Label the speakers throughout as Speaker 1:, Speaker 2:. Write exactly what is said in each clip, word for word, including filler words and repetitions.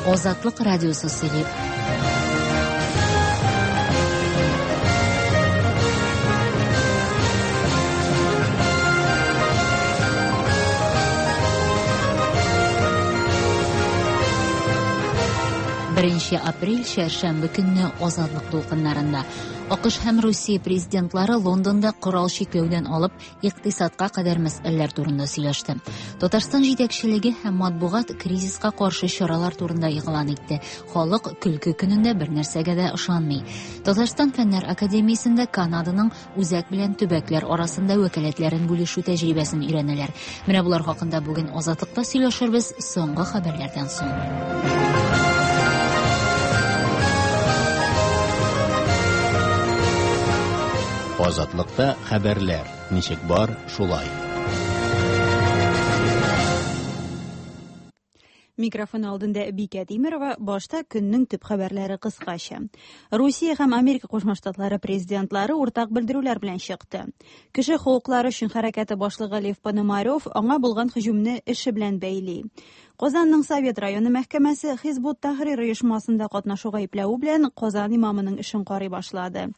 Speaker 1: Азатлык радиосы сөйли. Беренче апрель чәршәмбе көнне Азатлык дулкыннарында АКШ һәм Русия президентлары Лондонда корал чикләүдән алып икътисадка кадәр мәсьәләләр турында сөйләште. Татарстан җитәкчелеге һәм матбугат кризиска каршы чаралар турында игълан итте. Халык көлке көнендә бер нәрсәгә дә ышанмый. Татарстан Фәннәр академиясендә Канаданың үзәк белән төбәкләр арасында вәкаләтләрен бүлешү тәҗрибәсен өйрәнәләр. Менә булар хакында бүген Азатлыкта сөйләшербез соңгы хәбәрләрдән соң.
Speaker 2: Азатлыкта хәбәрләр ничек бар, шулай.
Speaker 3: Микрофон алдында Бикә Тимирова, башта көннең төп хәбәрләре кыскача. Русия һәм Америка Кушма Штатлары президентлары уртак белдерүләр белән чыкты. Кеше хокуклары өчен хәрәкәте башлыгы Лев Пономарев аңа булган һөҗүмне эше белән бәйли. Казанның Совет районы мәхкәмәсе Хизбут Тахрир оешмасында катнашу гаепләве белән Казан имамының эшен карый башлады.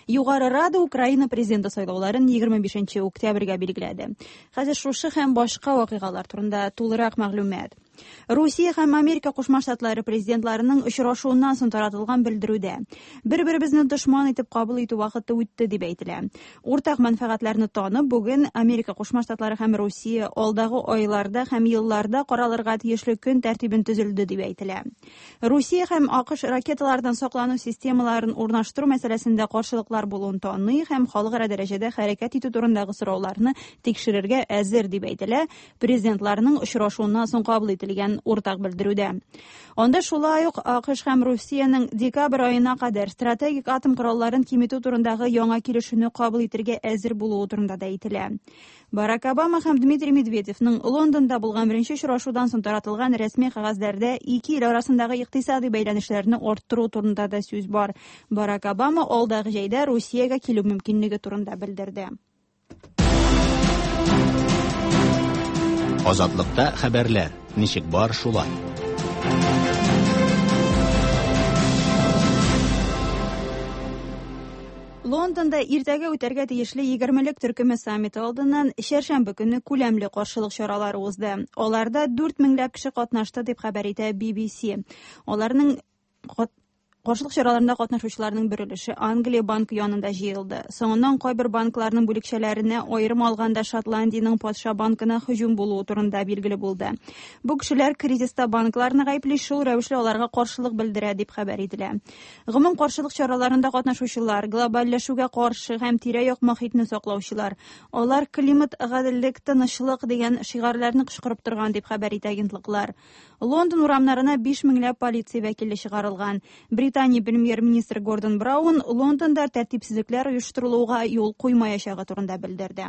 Speaker 3: Югары Рада Украина президенты сайлауларын егерме бишенче октябрьгә билгеләде. Хәзер шушы һәм башка вакыйгалар турында тулырак мәгълүмат. Русия һәм Америка Кушма Штатлары президентларының очрашуыннан соң таратылган белдерүдә бер-беребезне дошман итеп кабул итү вакыты үтте дип әйтелә. Уртак мәнфәгатьләрне танып, бүген Америка Кушма Штатлары һәм Русия алдагы айларда һәм елларда каралырга тиешле көн тәртибен төзелде дип әйтелә. Русия һәм АКШ ракеталардан саклану системаларын урнаштыру мәсьәләсендә каршылыклар булуын таный һәм халыкара дәрәҗәдә хәрәкәт итү турындагы сорауларны тикшерергә әзер дип әйтелә президентларның очрашуыннан соң кабул ителгән уртак белдерүдә. Анда шулай ук АКШ һәм Русиянең декабрь аена кадәр стратегик атом коралларын киметү турындагы яңа килешүне кабул итәргә әзер булуы турында да әйтелә. Барак Обама һәм Дмитрий Медведевның Лондонда булган беренче очрашудан соң таратылган рәсми кәгазьләрдә ике ил арасындагы икътисади бәйләнешләрне арттыру турында да сүз бар. Барак Обама алдагы җәйдә Русиягә килү мөмкинлеге турында белдерде.
Speaker 2: Азатлыкта хәбәрләр ничек бар, шулай.
Speaker 3: Лондонда иртәгә үтәргә тиешле егермелек төркеме саммиты алдыннан чәршәмбе көнне күләмле каршылык чаралары узды. Аларда дүрт меңләп кеше катнашты дип хәбәр итә Би Би Си. Аларның каршылык чараларында катнашучыларның бер өлеше Англия банкы янында җыелды. Соңыннан кайбер банкларның бүлекчәләренә, аерым алганда Шотландиянең патша банкына һөҗүм булуы турында билгеле булды. Бу кешеләр кризиста банкларны гаепли, шул рәвешле аларга каршылык белдерә дип хәбәр ителә. Гомум каршылык чараларында катнашучылар глобальләшүгә каршы һәм тирә-як мохитне саклаучылар. Алар климат, гаделлек, тынычлык дигән шигарьләрне кычкырып торган дип хәбәр итә агентлыклар. Лондон урамнарына биш меңләп полиция вәкиле чыгарылган. Британия премьер-министры Гордон Браун Лондонда тәртипсезлекләр оештырылуга юл куймаячагы турында белдерде.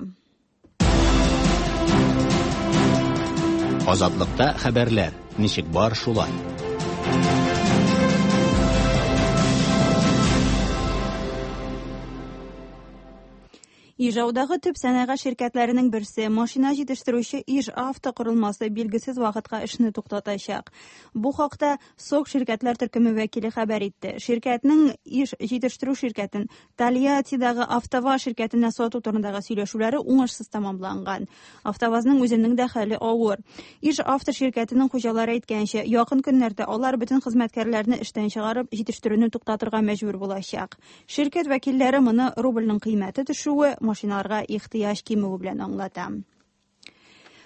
Speaker 2: Азатлыкта хәбәрләр ничек бар, шулай.
Speaker 3: Ижаудагы төп сәнәгать ширкәтләренең берсе машина җитештерүче Иж Авто корылмасы билгесез вакытка эшне туктатачак. Бу хакта СОК ширкәтләр төркеме вәкиле хәбәр итте. Ширкәтнең Иж җитештерү ширкәтен Тольяттидагы АвтоВАЗ ширкәтенә сату турындагы сөйләшүләре уңышсыз тәмамланган. АвтоВАЗның үзенең дә хәле авыр. Иж Авто ширкәтенең хуҗалары әйткәнчә, якын көннәрдә алар бөтен хезмәткәрләрне эштән чыгарып, җитештерүне туктатырга мәҗбүр булачак. Ширкәт вәкилләре моны рубльнең кыйммәте төшүе, машиналарга ихтыяҗ кимүе белән аңлата.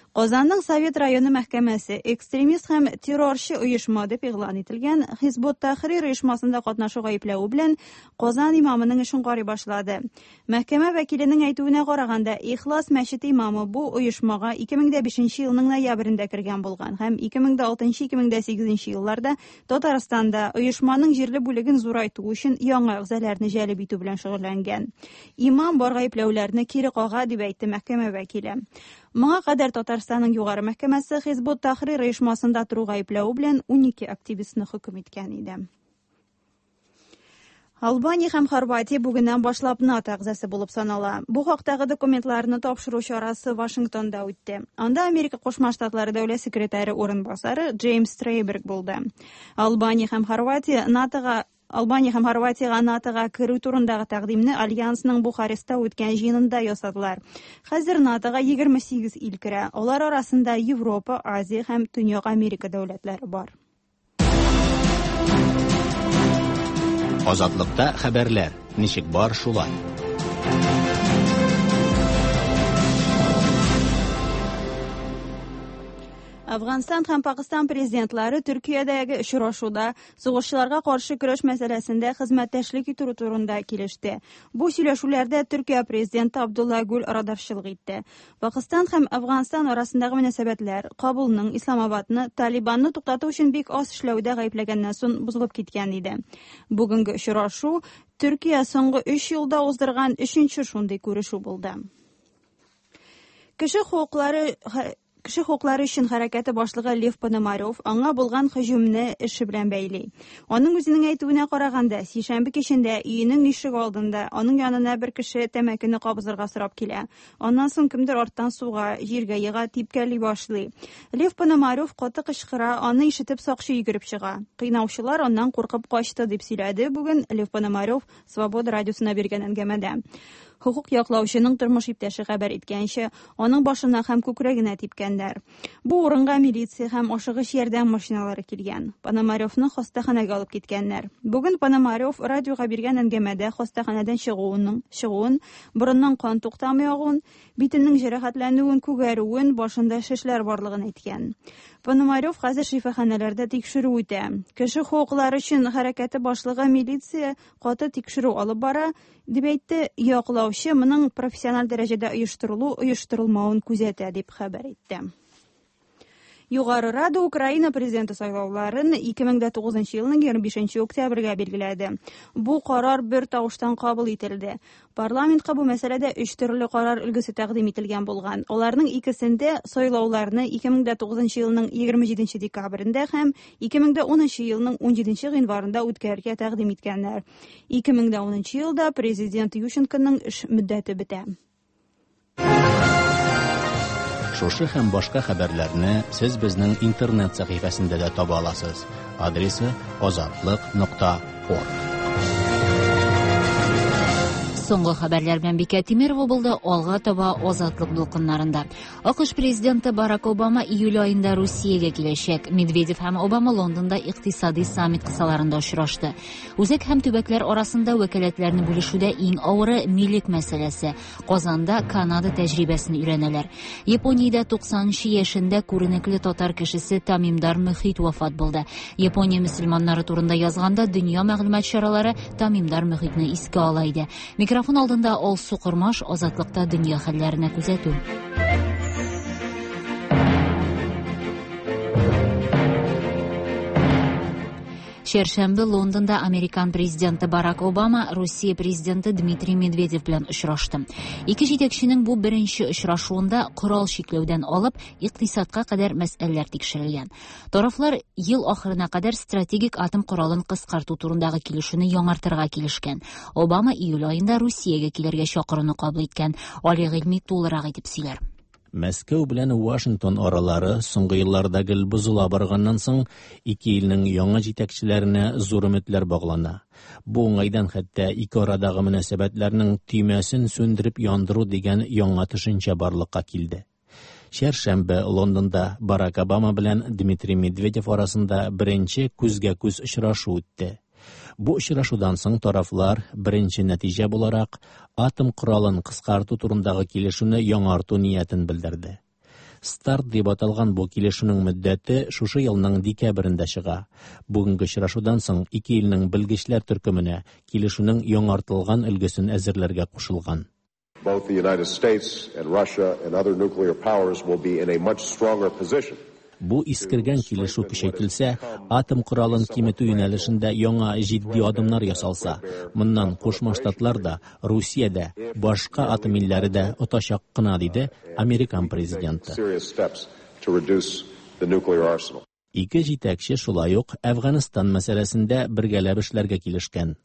Speaker 3: Казанның Совет районы мәхкәмәсе экстремист һәм террорчы оешма дип игълан ителгән Хизбут Тахрир оешмасында катнашу гаепләве белән Казан имамының эшен карый башлады. Мәхкәмә вәкиленең әйтүенә караганда, Ихлас мәчете имамы бу оешмага ике мең дә бишенче елның ноябрендә кергән булган һәм ике мең дә алтынчы, ике мең дә сигезенче елларда Татарстанда оешманың җирле бүлеген зурайту өчен яңа әгъзаларны җәлеп итү белән шөгыльләнгән. Имам бар гаепләүләрне кире кага дип әйтте мәхкәмә вәкиле. Моңа кадәр Татарстанның югары мәхкәмәсе Хизбут Тахрир оешмасында тору гаепләве белән унике активистны хөкем иткән иде. Албания һәм Хорватия бүгеннән башлап НАТО әгъзасы булып санала. Бу хактагы документларны тапшыру чарасы Вашингтонда үтте. Анда Америка Кушма Штатлары дәүләт секретаре урынбасары Джеймс Трейберг булды. Албания һәм Хорватия НАТОга Албания һәм Хорватиягә НАТОга керү турындагы тәкъдимне Альянсның Бухареста үткән җыенында ясадылар. Хәзер НАТОга егерме сигез ил керә. Алар арасында Европа, Азия һәм Төньяк Америка дәүләтләре бар.
Speaker 2: Азатлыкта хәбәрләр ничек бар шулай.
Speaker 3: Афганстан һәм Пакистан президентлары Төркиядәге очрашуда сугышчыларга каршы көрәш мәсьәләсендә хезмәттәшлек итү турында килеште. Бу сөйләшүләрдә Төркия президенты Абдулла Гүл арадашчылык итте. Пакистан һәм Афганстан арасындагы мөнәсәбәтләр Кабулның Исламабадны Талибанны туктату өчен бик аз эшләүдә гаепләгәннән соң бозылып киткән иде. Бүгенге очрашу Төркия соңгы өч елда уздырган өченче шундый күрешү булды. Кеше хокуклары Кеше хокуклары өчен хәрәкәте башлыгы Лев Пономарев аңа булган һөҗүмне эше белән бәйли. Аның үзенең әйтүенә караганда, сишәмбе кичендә өенең ишеге алдында аның янына бер кеше тәмәкене кабызырга сорап килә. Аннан соң кемдер арттан суга, җиргә ега, типкәли башлый. Лев Пономарев каты кычкыра, аны ишетеп сакчы йөгереп чыга. Кыйнаучылар аннан куркып качты дип сөйләде бүген Лев Пономарев Свобода радиосына биргән әңгәмәдә. Хукук яклаучының тормыш иптәше хәбәр иткәнчә, аның башына һәм күкрәгенә типкәннәр. Бу урынга милиция һәм ашыгыч ярдәм машиналары килгән. Пономаревны хастаханәгә алып киткәннәр. Бүген Пономарев радиога биргән әңгәмәдә хастаханәдән чыгуының, чыгуын, борыннан кан туктамый агуын, битенең җәрәхәтләнүен, күгәрүен, башында шешләр барлыгын әйткән. Пономарев хәзер шифаханәләрдә тикшерү үтә. Кеше хокуклары өчен хәрәкәте башлыгы милиция каты тикшерү алып бара, дип әйтте. Яклаучы моның профессиональ дәрәҗәдә оештырылу, оештырылмавын күзәтә дип хәбәр итте. Югары Рада Украина президенты сайлауларын ике мең дә тугызынчы елның егерме бишенче октябрьгә билгеләде. Бу карар бер тавыштан кабул ителде. Парламентка бу мәсьәләдә өч төрле карар өлгесе тәкъдим ителгән булган. Аларның икесендә сайлауларны ике мең дә тугызынчы елның егерме җиденче декабрендә һәм ике мең дә унынчы елның унҗиденче гыйнварында үткәрергә тәкъдим иткәннәр. Ике мең дә унынчы елда президент Ющенконың эш мөддәте бетә.
Speaker 2: Шушы һәм башка хәбәрләрне сез безнең интернет сәхифәсендә дә таба аласыз. Адресы азатлык нокта орг.
Speaker 1: Соңгы хәбәрләр белән Бикә Тимирова булды. Алга таба Азатлык дулкыннарында. АКШ президенты Барак Обама июль аенда Русиягә киләчәк. Медведев һәм Обама Лондонда икътисади саммит кысаларында очрашты. Үзәк һәм төбәкләр арасында вәкаләтләрне бүлешүдә иң авыры милек мәсьәләсе. Казанда Канада тәҗрибәсен өйрәнәләр. Япониядә туксанынчы яшендә күренекле татар кешесе Тамимдар Мөхит вафат булды. Япония мөселманнары турында язганда дөнья мәгълүмат чаралары Тамимдар Мөхитне искә ала иде. Микрофон алдында Алсу Кормаш, Азатлыкта дөнья хәлләренә күзәтү. Чәршәмбе Лондонда Американ президенты Барак Обама Русия президенты Дмитрий Медведев белән очрашты. Ике җитәкченең бу беренче очрашуында корал чикләүдән алып икътисадка кадәр мәсьәләләр тикшерелгән. Тарафлар ел ахырына кадәр стратегик атом коралын кыскарту турындагы килешүне яңартырга килешкән. Обама июль аенда Русиягә килергә чакыруны кабул иткән. Али Гыйльми тулырак итеп сөйләр.
Speaker 2: Мәскәү белән Вашингтон аралары соңгы елларда гел бозыла барганнан соң ике илнең яңа җитәкчеләренә зур өметләр баглана. Бу уңайдан хәтта ике арадагы мөнәсәбәтләрнең төймәсен сүндереп яндыру дигән яңа төшенчә барлыкка килде. Чәршәмбе Лондонда Барак Обама белән Дмитрий Медведев арасында беренче күзгә-күз очрашу үтте. Бу очрашудан соң тарафлар беренче нәтиҗә буларак атом коралын кыскарту турындагы килешүне яңарту ниятен белдерде. Старт дип аталган бу килешүнең мөддәте шушы елның декабрендә чыга. Бүгенге очрашудан соң ике илнең белгечләр төркеменә килешүнең яңартылган өлгесен әзерләргә кушылган.
Speaker 4: Both the United States and Russia and other nuclear powers will be in a much stronger position.
Speaker 2: Бу искергән килешү көчәйтелсә, атом коралын киметү юнәлешендә яңа җитди адымнар ясалса, моннан Кушма Штатлар да, Русия дә, башка атом илләре дә отачак кына, диде Американ президенты. Ике җитәкче шулай ук Әфганстан мәсьәләсендә бергәләп эшләргә килешкән.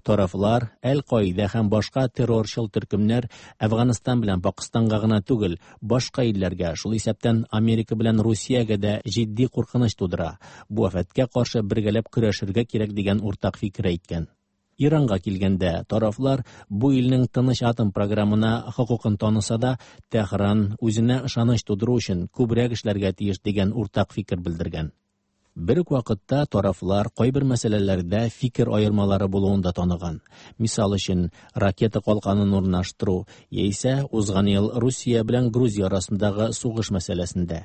Speaker 2: Тарафлар Әл-Каида һәм башка террорчыл төркемнәр Әфганстан белән Пакистанга гына түгел, башка илләргә, шул исәптән Америка белән Русиягә дә җитди куркыныч тудыра. Бу афәткә каршы бергәләп көрәшергә кирәк дигән уртак фикер әйткән. Иранга килгәндә, тарафлар бу илнең тыныч атом программына хокукын таныса да, Тәһран үзенә ышаныч тудыру өчен күбрәк эшләргә тиеш дигән уртак фикер белдергән. Бер үк вакытта тарафлар кайбер мәсьәләләрдә фикер аермалары булуын да таныган. Мисал өчен, ракета калканын урнаштыру яисә узган ел Русия белән Грузия арасындагы сугыш мәсьәләсендә.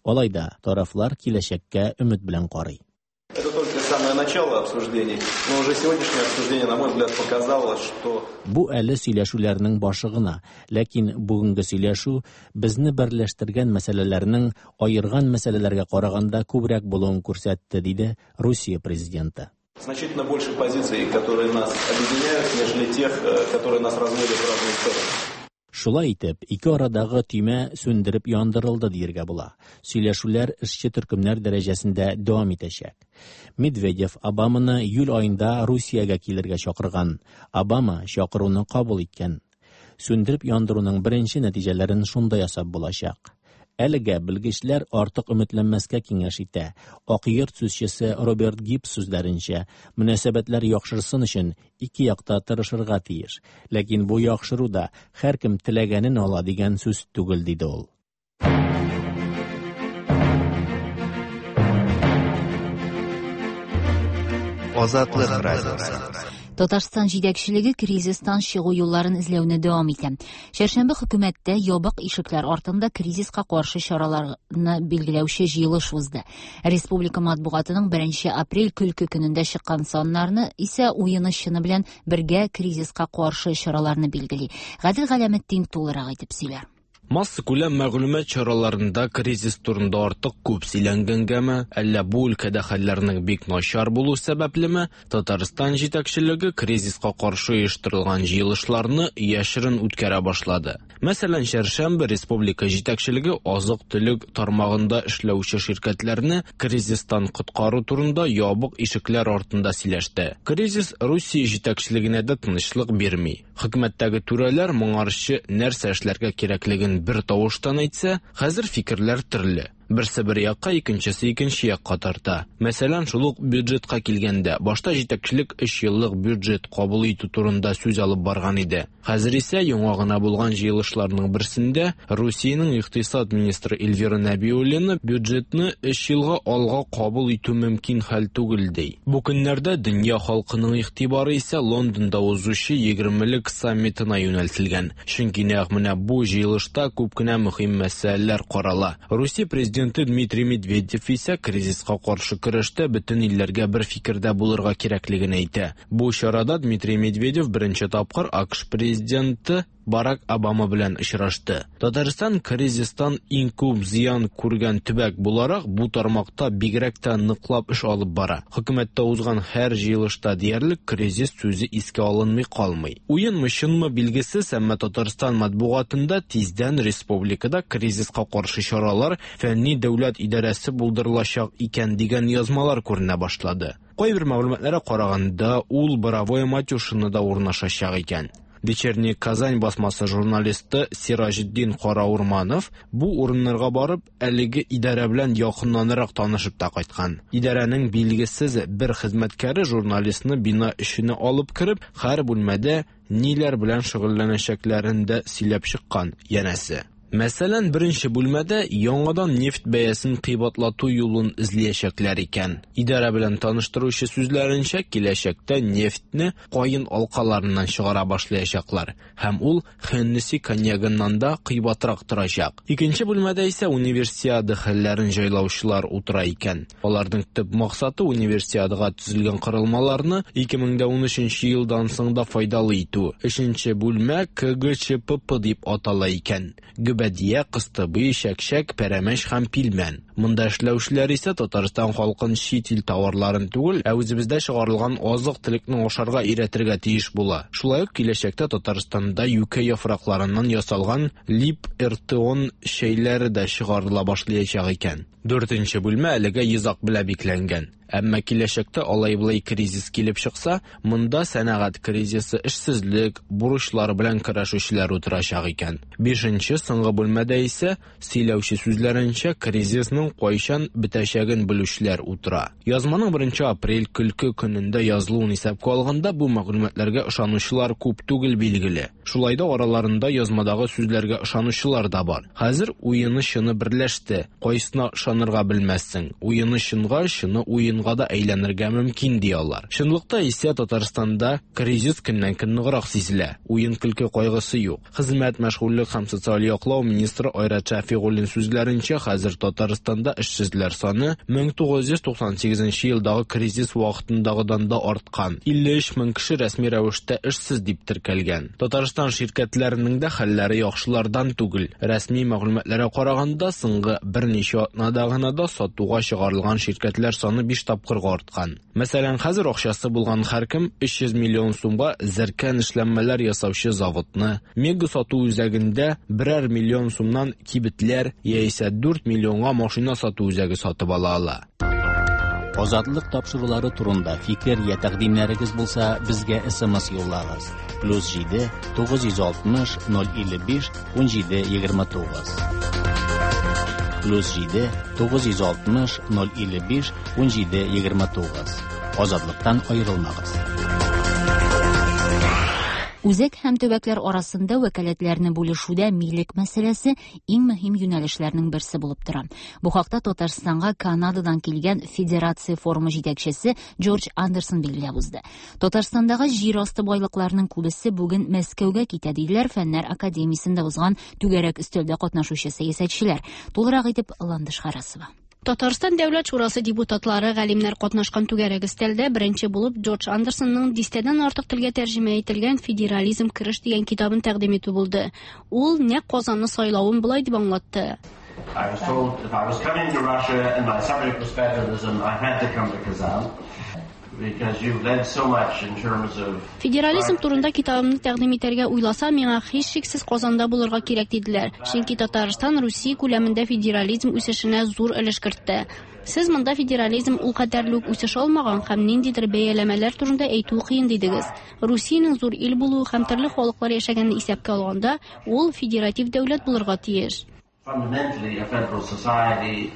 Speaker 2: Алай да тарафлар киләчәккә өмет белән карый.
Speaker 5: Это только самое начало обсуждений, но уже сегодняшнее обсуждение, на мой взгляд, показало, что
Speaker 2: Бу әле сөйләшүләрнең башы гына, ләкин бүгенге сөйләшү безне берләштергән мәсьәләләрнең аерган мәсьәләләргә караганда күбрәк булуын күрсәтте, диде Русия президенты.
Speaker 5: Значительно больше позиций, которые нас объединяют, нежели тех, которые нас разводят в разные стороны.
Speaker 2: Шулай итеп, ике арадагы төймә сүндереп яндырылды дияргә була. Сөйләшүләр эшче төркемнәр дәрәҗәсендә дәвам итәчәк. Медведев Обаманы июль аенда Русиягә килергә чакырган. Обама чакыруны кабул иткән. Сүндереп яндыруның беренче нәтиҗәләрен шунда ясап булачак. Әлегә белгечләр артык өметләнмәскә киңәш итә. Ак йорт сүзчесе Роберт Гибс сүзләренчә, мөнәсәбәтләр яхшырсын өчен ике якта тырышырга тиеш. Ләкин бу яхшыру да һәркем теләгәнен ала дигән сүз түгел, диде ул.
Speaker 6: Азатлык радиосы.
Speaker 1: Татарстан җитәкчелеге кризистан чыгу юлларын эзләүне дәвам итә. Чәршәмбе хөкүмәттә ябык ишекләр артында кризиска каршы чараларны билгеләүче җыелыш узды. Республика матбугатының беренче апрель көлке көнендә чыккан саннарны исә уены чыны белән бергә кризиска каршы чараларны билгели. Гадел Галәметдин тулырак итеп сөйләр.
Speaker 7: Массакүләм мәгълүмат чараларында кризис турында артык күп сөйләнгәнгәме, әллә бу өлкәдә хәлләрнең бик начар булу сәбәплеме, Татарстан җитәкчелеге кризиска каршы оештырылган җыелышларны яшерен үткәрә башлады. Мәсәлән, чәршәмбе республика җитәкчелеге азык-төлек тармагында эшләүче ширкәтләрне кризистан коткару турында ябык ишекләр артында сөйләште. Кризис Русия җитәкчелегенә дә тынычлык бирми. Хөкүмәттәге түрәләр моңарчы нәрсә эшләргә кирәклеген бер тавыштан әйтсә, хәзер фикерләр төрле. Берсе бер якка, икенчесе икенче якка тарта. Мәсәлән, шул ук бюджетка килгәндә, башта җитәкчелек өч еллык бюджет кабул итү турында сүз алып барган иде. Хәзер исә яңа гына булган җыелышларның берсендә Русиянең икътисад министры Эльвира Нәбиуллина бюджетны өч елга алга кабул итү мөмкин хәл түгел ди. Бу көннәрдә дөнья халкының игътибары исә Лондонда узучы егермелек саммитына юнәлтелгән. Чөнки нәкъ менә бу җыелышта күп кенә мөһим мәсьәләләр карала. Русия президенты Дмитрий Медведев исә кризиска каршы көрәштә бөтен илләргә бер фикердә булырга кирәклеген әйтә. Бу чарада Дмитрий Медведев беренче тапкыр АКШ президенты Барак Обама белән очрашты. Татарстан кризистан иң күп зыян күргән төбәк буларак бу тармакта бигрәк тә ныклап эш алып бара. Хөкүмәттә узган һәр җыелышта диярлек кризис сүзе искә алынмый калмый. Уенмы чынмы билгесез, әмма Татарстан матбугатында тиздән республикада кризиска каршы чаралар фәнни дәүләт идарәсе булдырылачак икән дигән язмалар күренә башлады. Кайбер мәгълүматларга караганда, ул Боровое Матюшинода урнашачак икән. Вечерний Казань басмасы журналисты Сираҗетдин Караурманов бу урыннарга барып, әлеге идарә белән якыннанрак танышып та кайткан. Идарәнең билгесез бер хезмәткәре журналистны бина эченә алып кереп, һәр бүлмәдә ниләр белән шөгыльләнәчәкләрен дә сөйләп чыккан, янәсе. Мәсәлән, беренче бүлмәдә яңадан нефть бәясен кыйбатлату юлын эзләячәкләр икән. Идарә белән таныштыручы сүзләренчә, киләчәктә нефтьне каен алкаларыннан чыгара башлаячаклар һәм ул Хеннесси коньягыннан да кыйбатрак торачак. Икенче бүлмәдә исә универсиада хәлләрен җайлаучылар утыра икән. Аларның төп максаты универсиадага төзелгән корылмаларны ике мең дә унөченче елдан соң да файдалы итү. Өченче бүлмә К Г Ч П П дип атала икән. Гөбәдия, кыстыбый, чәкчәк, пәрәмәч һәм пилмән. Монда эшләүчеләр исә Татарстан халкын чит ил товарларын түгел, ә үзебездә чыгарылган азык-төлекне ашарга өйрәтергә тиеш була. Шулай ук киләчәктә Татарстанда юкә яфракларыннан ясалган лип-эртеон чәйләре дә чыгарыла башлаячак икән. Дүртенче бүлмә әлегә йозак белән бикләнгән. Әмма киләчәктә алай-болай кризис килеп чыкса, монда сәнәгать кризисы, эшсезлек, бурычлар белән көрәшүчеләр утырачак икән. Бишенче соңгы бүлмәдә исә сөйләүче сүзләренчә кризисның кайчан бетәчәген белүчеләр утыра. Язманың беренче апрель көлке көнендә язылуын исәпкә алганда бу мәгълүматларга ышанучылар күп түгел билгеле. Шулай да араларында язмадагы сүзләргә ышанучылар да бар. Хәзер уены чыны берләште. Кайсына ышанырга белмәссең. Уены чынга, чыны уенга да әйләнергә мөмкин ди алар. Чынлыкта исә Татарстанда кризис көннән-көн ныграк сизелә. Уен көлке кайгысы юк. Хезмәт, мәшгульлек һәм социаль яклау министры Айрат Шәфигуллин сүзләренчә, хәзер Татарстанда эшсезләр саны мең тугыз йөз туксан сигезенче елдагы кризис вакытындагыдан да арткан. илле өч мең кеше рәсми рәвештә эшсез дип теркәлгән. Татарстан ширкәтләренең дә хәлләре яхшылардан түгел. Рәсми мәгълүматларга караганда, соңгы берничә атнада гына да сатуга чыгарылган ширкәтләр саны биш тапкырга арткан. Мәсәлән, хәзер акчасы булган һәркем өч йөз миллион сумга зәркән эшләнмәләр ясаучы заводны, Мега сату үзәгендә берәр миллион сумнан кибетләр яисә дүрт миллионга машина сату үзәге сатып ала ала.
Speaker 2: Азатлык тапшырулары турында фикер я тәкъдимнәрегез булса, безгә эс эм эс юллагыз. Плюс җиде, тугыз йөз алтмыш, ноль илле биш, ун җиде, егерме тугыз. Плюс җиде, тугыз йөз алтмыш, ноль илле биш, ун җиде, егерме тугыз. Азатлыктан аерылмагыз.
Speaker 1: Үзәк һәм төбәкләр арасында вәкаләтләрне бүлешүдә милек мәсьәләсе иң мөһим юнәлешләрнең берсе булып тора. Бу хакта Татарстанга Канададан килгән Федерация форумы җитәкчесе Джордж Андерсон билгеләп узды. Татарстандагы җир асты байлыкларының күбесе бүген Мәскәүгә китә, диделәр Фәннәр академиясендә узган түгәрәк өстәлдә катнашучы сәясәтчеләр. Тулырак итеп Ландыш Харасова.
Speaker 8: Татарстан Дәүләт Шурасы депутатлары галимнәр катнашкан түгәрәк өстәлдә беренче булып Джордж Андерсонның дистәдән артык телгә тәрҗемә ителгән Федерализм кереш дигән китабын тәкъдим итү булды. Ул нәкъ Казанны сайлавын болай дип аңлатты.
Speaker 9: I was told if I was coming to Russia and my subject was federalism, I had to come to Kazan. Because you've led so much in terms of
Speaker 8: Федерализм турында китабымны тәкъдим итәргә уйласа, миңа һичшиксез Казанда булырга кирәк диделәр. Чөнки Татарстан Русия күләмендә федерализм үсешенә зур өлеш кертте. Сез монда федерализм ул кадәрле үк үсеш алмаган һәм ниндидер бәяләмәләр турында әйтү кыен дидегез. Русиянең зур ил булуы һәм төрле халыклар яшәгәнен исәпкә алганда, ул федератив дәүләт булырга тиеш.
Speaker 9: Fundamentally a federal society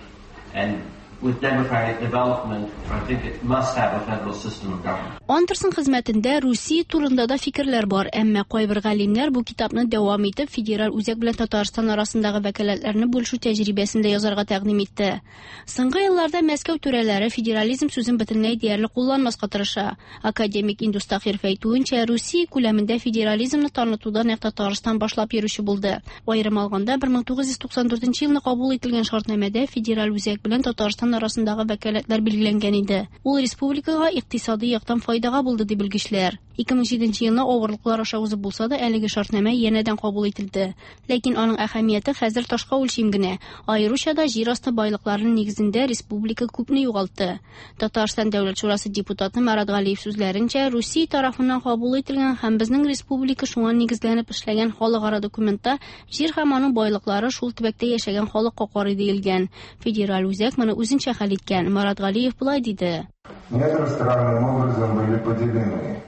Speaker 9: and with democratic development, I think it must have a federal system of government.
Speaker 8: Андерсон хезмәтендә Русия турында да фикерләр бар, әмма кайбер галимнәр бу китапны дәвам итеп федераль үзәк белән Татарстан арасындагы вәкаләтләрне бүлешү тәҗрибәсен дә язарга тәкъдим итте. Соңгы елларда Мәскәү түрәләре федерализм сүзен бөтенләй диярлек кулланмаска тырыша. Академик Индус Тахиров әйтүенчә, Русия күләмендә федерализмны танытуда нәкъ Татарстан башлап йөрүче булды. Аерым алганда, бер мең тугыз йөз туксан дүртенче елны кабул ителгән шартнамәдә федераль үзәк белән Татарстан арасындагы вәкаләтләр билгеләнгән иде. Ул республикага икътисади яктан файдага булды дип белгечләр. Ике мең җиденче елны авырлыклар аша узып булса да, әлеге шартнамә янәдән кабул ителде. Ләкин аның әһәмияте хәзер ташка үлчим генә. Аеруча да җир асты байлыкларының нигезендә республика күпне югалтты. Татарстан Дәүләт Шурасы депутаты Марат Галиев сүзләренчә, Русия тарафыннан кабул ителгән һәм безнең республика шуңа нигезләнеп эшләгән халыкара документта җир һәм аның байлыклары шул төбәктә яшәгән халыкка карый диелгән. Федераль үзәк моны үзенчә хәл иткән. Марат Галиев болай диде.
Speaker 10: Недра странным образом были поделены.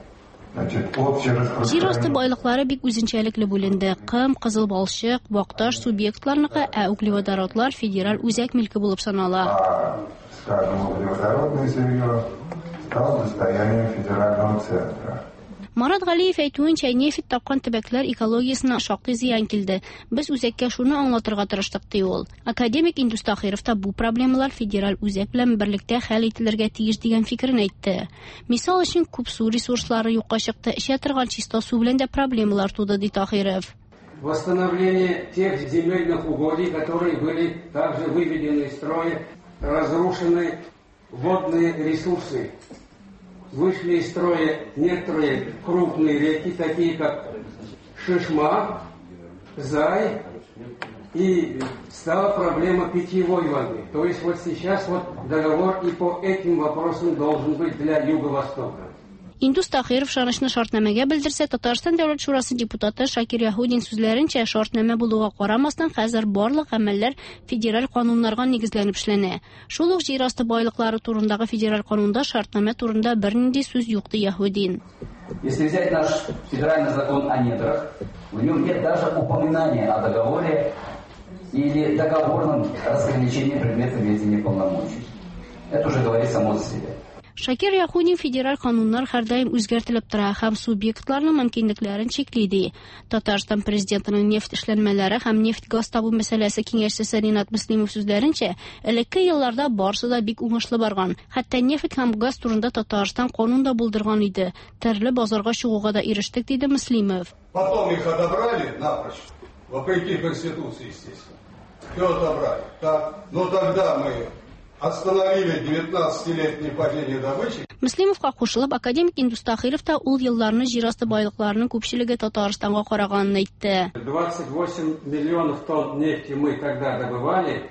Speaker 10: Значит, общее распространение.
Speaker 8: Җир асты байлыклары бик үзенчәлекле бүленде. Кым, кызыл балчык, вакташ субъектларныкы, ә углеводородлар федераль үзәк милке булып санала.
Speaker 10: А, скажем, углеводородное сырье стало достоянием федерального центра.
Speaker 8: Марат Галиев әйтүенчә, нефть тапкан төбәкләр экологиясенә шактый зыян килде. Без үзәккә шуны аңлатырга тырыштык, ди ул. Академик Индус Тахиров та бу проблемалар федераль үзәк белән берлектә хәл ителергә тиеш дигән фикерен әйтте. Мисал өчен, күп су ресурслары юкка чыкты, эчә торган чиста су белән дә проблемалар туды, ди Тахиров.
Speaker 11: Восстановление тех земельных угодий, которые были также выведены из строя, разрушены водные ресурсы. Вышли из строя некоторые крупные реки, такие как Шишма, Зай, И стала проблема питьевой воды. То есть вот сейчас вот договор и по этим вопросам должен быть для Юго-Востока.
Speaker 8: Индус Тахиров ышанычны шартнамәгә белдерсә, Татарстан Дәүләт Шурасы депутаты Шакир Яһудин сүзләренчә, шартнамә булуга карамастан, хәзер барлык гамәлләр федераль кануннарга нигезләнеп эшләнә. Шул ук җир асты байлыклары турындагы федераль канунда шартнамә турында бернинди сүз юк, ди Яһудин.
Speaker 12: Если взять наш федеральный закон о недрах, в нем нет даже упоминания о договоре или договорном разграничении предмета ведения полномочий. Это уже говорит само за себя.
Speaker 8: Шакир Яһудин федераль кануннар һәрдаим үзгәртелеп тора һәм субъектларның мөмкинлекләрен чикли, ди. Татарстан президентының нефть эшләнмәләре һәм нефть-газ табу мәсьәләсе киңәшчесе Ринат Мөслимов сүзләренчә, элекке елларда барысы да бик уңышлы барган. Хәтта нефть һәм газ турында Татарстан канун да булдырган иде. Төрле базарга чыгуга да ирештек, диде Мөслимов.
Speaker 13: Потом их отобрали напрочь, вопреки Конституции, естественно. Все отобрали. Так, но тогда мы остановили девятнадцатилетнее падение добычи.
Speaker 8: Мөслимовка кушылып, академик Индус Тахиров та ул елларны җир асты байлыкларының күпчелеге Татарстанга караганын әйтте.
Speaker 11: двадцать восемь миллионов тонн нефти мы тогда добывали.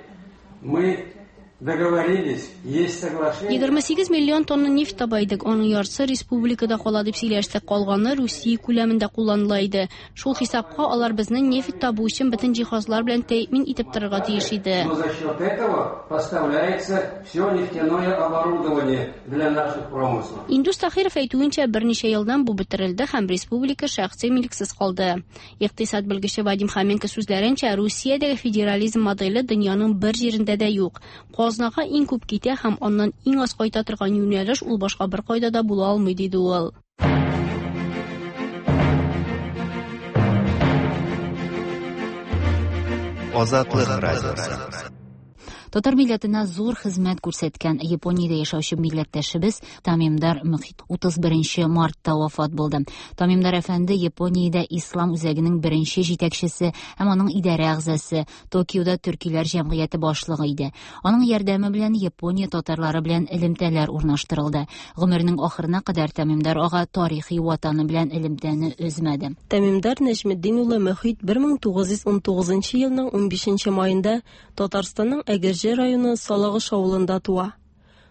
Speaker 11: Мы договорились, есть соглашение.
Speaker 8: егерме сигез миллион тонна нефть таба идек, аның яртысы республикада кала дип сөйләштек, калганы Русия күләмендә кулланыла иде. Шул хисапка алар безне нефть табу өчен бөтен җиһазлар белән тәэмин итеп торырга тиеш иде.
Speaker 11: Но за счет этого поставляется все нефтяное оборудование для наших промыслов.
Speaker 8: Индус Тахиров әйтүенчә, берничә елдан бу бетерелде һәм республика шәхси милексез калды. Икътисад белгече Вадим Хоменко сүзләренчә, Русиядәге федерализм моделе дөньяның бер җирендә дә юк. Казнага иң күп китә һәм аннан иң аз кайта торган юнәлеш ул башка бер кайда да була алмый, диде ул.
Speaker 6: Азатлык радиосы.
Speaker 1: Татар милләтенә зур хезмәт күрсәткән Япониядә яшәүче милләттәшебез Тамимдар Мөхит утыз беренче мартта вафат булды. Тамимдар әфәнде Япониядә Ислам үзәгенең беренче җитәкчесе һәм аның идарә әгъзасы, Токиода төркиләр җәмгыяте башлыгы иде. Аның ярдәме белән Япония татарлары белән элемтәләр урнаштырылды. Гомеренең ахырына кадәр Тамимдар ага тарихи ватаны белән элемтәне өзмәде.
Speaker 14: Тамимдар Нәҗметдин улы Мөхит бер мең тугыз йөз ун тугызынчы елның унбишенче маенда Татарстанның Әгерҗе районы Салагыш авылында туа.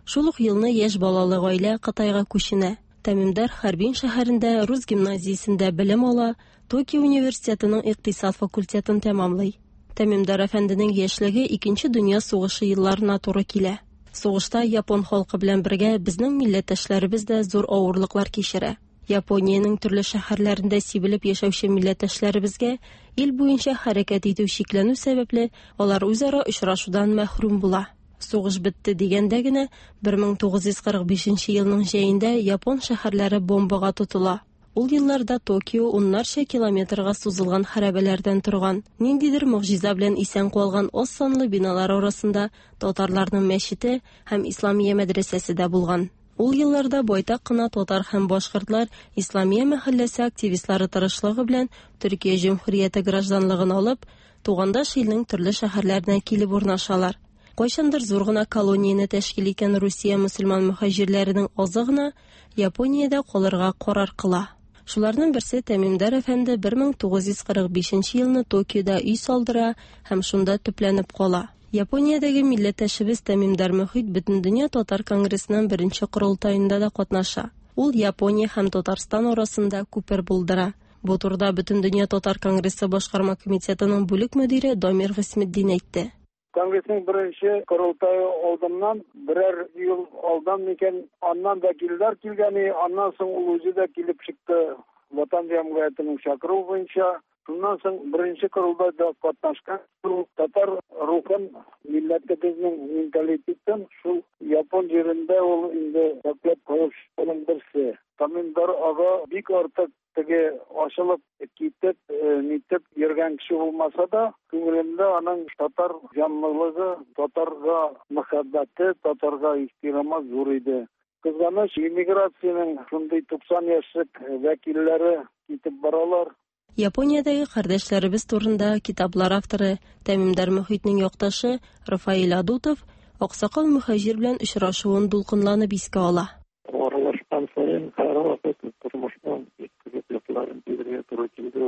Speaker 14: Шул ук елны яшь балалы гаилә Кытайга күченә. Тамимдар Харбин шәһәрендә рус гимназиясендә белем ала, Токио университетының икътисад факультетын тәмамлый. Тамимдар әфәнденең яшьлеге Икенче дөнья сугышы елларына туры килә. Сугышта япон халкы белән бергә безнең милләттәшләребез дә зур авырлыклар кичерә. Япониянең төрле шәһәрләрендә сибелеп яшәүче милләттәшләребезгә ил буенча хәрәкәт итү чикләнү сәбәпле, алар үзара очрашудан мәхрүм була. Сугыш бетте дигәндә генә бер мең тугыз йөз кырык бишенче елның җәендә япон шәһәрләре бомбага тотыла. Ул елларда Токио уннарча километрга сузылган хәрабәләрдән торган, ниндидер могҗиза белән исән калган аз санлы биналар арасында татарларның мәчете һәм Исламия мәдрәсәсе дә булган. Ул елларда байтак кына татар һәм башкортлар Исламия мәхәлләсе активистлары тырышлыгы белән Төркия Җөмһүрияте гражданлыгын алып, тугандаш илнең төрле шәһәрләренә килеп урнашалар. Кайчандыр зур гына колонияне тәшкил иткән Русия мөселман мөһаҗирләренең азы гына Япониядә калырга карар кыла. Шуларның берсе Тамимдар әфәнде бер мең тугыз йөз кырык бишенче елны Токиода өй салдыра һәм шунда төпләнеп кала. Япониядәге милләттәшебез Тамимдар Мөхит Бөтендөнья татар конгрессының беренче корылтаенда да катнаша. Ул Япония һәм Татарстан арасында күпер булдыра. Бу турыда Бөтендөнья татар конгрессы башкарма комитетының бүлек мөдире Дамир Гыйсметдин әйтте.
Speaker 15: Конгрессның беренче корылтае алдыннан берәр ел алдан микән, аннан вәкилләр килгәне, аннан соң ул үзе дә килеп чыкты Ватан җәмгыятенең чакыруы буенча. Шуннан соң беренче корылтайда катнашкан шул татар рухын, милләтебезнең менталитетын шул япон җирендә ул инде саклап калучының берсе. Тамимдар ага бик артык теге ачылып китеп, нитеп йөргән кеше булмаса да, күңелендә аның татар җанлылыгы, татарга мәхәббәте, татарга ихтирамы зур иде. Кызганыч, иммиграциянең шундый туксан яшьлек вәкилләре китеп баралар.
Speaker 14: Япониядәге кардәшләребез турында китаплар авторы Тамимдар Мөхитнең якташы Рафаэль Адутов аксакал мөһаҗир белән очрашуын дулкынланып искә ала.
Speaker 16: Аралашкан саен һәрвакыт тормышның бик күп якларын белергә туры килде.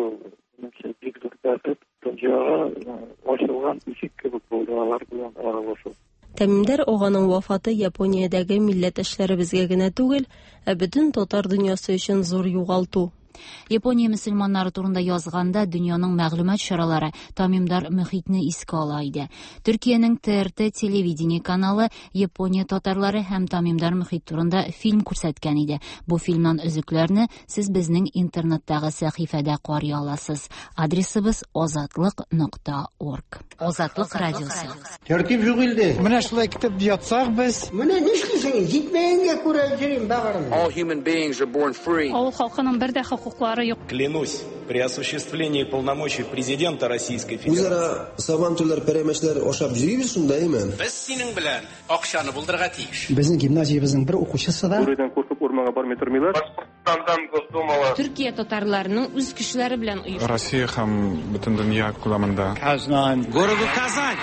Speaker 16: Минемчә, бик зур бәхет. Тынчы Дөньяга ачылган ишек кебек булды алар белән аралашу.
Speaker 14: Тәмимдар аганың вафаты Япониядәге милләттәшләребезгә генә түгел, ә бөтен татар дөньясы өчен зур югалту.
Speaker 1: Япония мөселманнары турында язганда дөньяның мәгълүмат чаралары Тамимдар Мөхитне искә ала иде. Төркиянең Т Р Т телевидение каналы Япония татарлары һәм Тамимдар Мөхит турында фильм күрсәткән иде. Бу фильмнан өзекләрне сез безнең интернеттагы сәхифәдә карый аласыз. Адресыбыз азатлык нокта орг. Азатлык радиосы.
Speaker 17: Тәртип юк илдә. Менә шулай китеп ятсак без.
Speaker 18: Менә нишлисең? Җитмәгәнгә күрә йөрим багырым.
Speaker 19: All human beings are born free.
Speaker 8: Авыл халкының бер дә хокуклары юк.
Speaker 5: Клянусь, при осуществлении полномочий президента Российской Федерации.
Speaker 20: Үзара сабантуйлар, пәрәмәчләр ашап йөрибез шунда, әйме?
Speaker 21: Без синең белән акчаны булдырырга тиеш.
Speaker 17: Безнең гимназиябезнең бер укучысы да
Speaker 22: Бүредән куркып урманга бармый тормыйлар.
Speaker 23: Башкортстандан Госдумага.
Speaker 24: Төркия татарларының үз көчләре белән оешты.
Speaker 25: Россия һәм бөтен дөнья күләмендә.
Speaker 17: Казан.
Speaker 21: Городу Казань.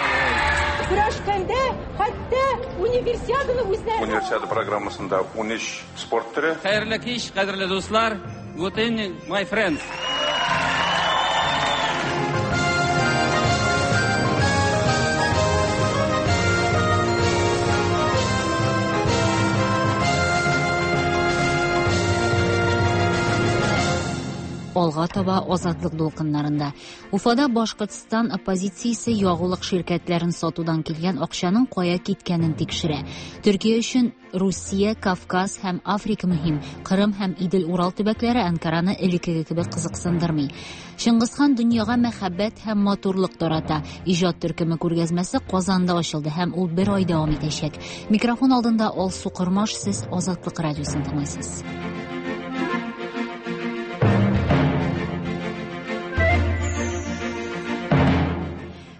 Speaker 26: Көрәшкәндә хәтта универсиаданы үзләре.
Speaker 27: Универсиада программасында ун өч спорт төре.
Speaker 11: Хәерле кич, кадерле дуслар. Good evening, my friends.
Speaker 1: Алга таба азатлык дулкыннарында. Уфада Башкортстан оппозициясе ягулык ширкәтләрен сатудан килгән акчаның кая киткәнен тикшерә. Төркия өчен Русия, Кавказ һәм Африка мөһим. Кырым һәм Идел-Урал төбәкләре Анкараны элеккеге кебек кызыксындырмый. Чыңгызхан дөньяга мәхәббәт һәм матурлык тарата. Иҗат төркеме күргәзмәсе Казанда ачылды һәм ул бер ай дәвам итәчәк. Микрофон алдында Алсу Кормаш, сез Азатлык радиосын тыңлыйсыз.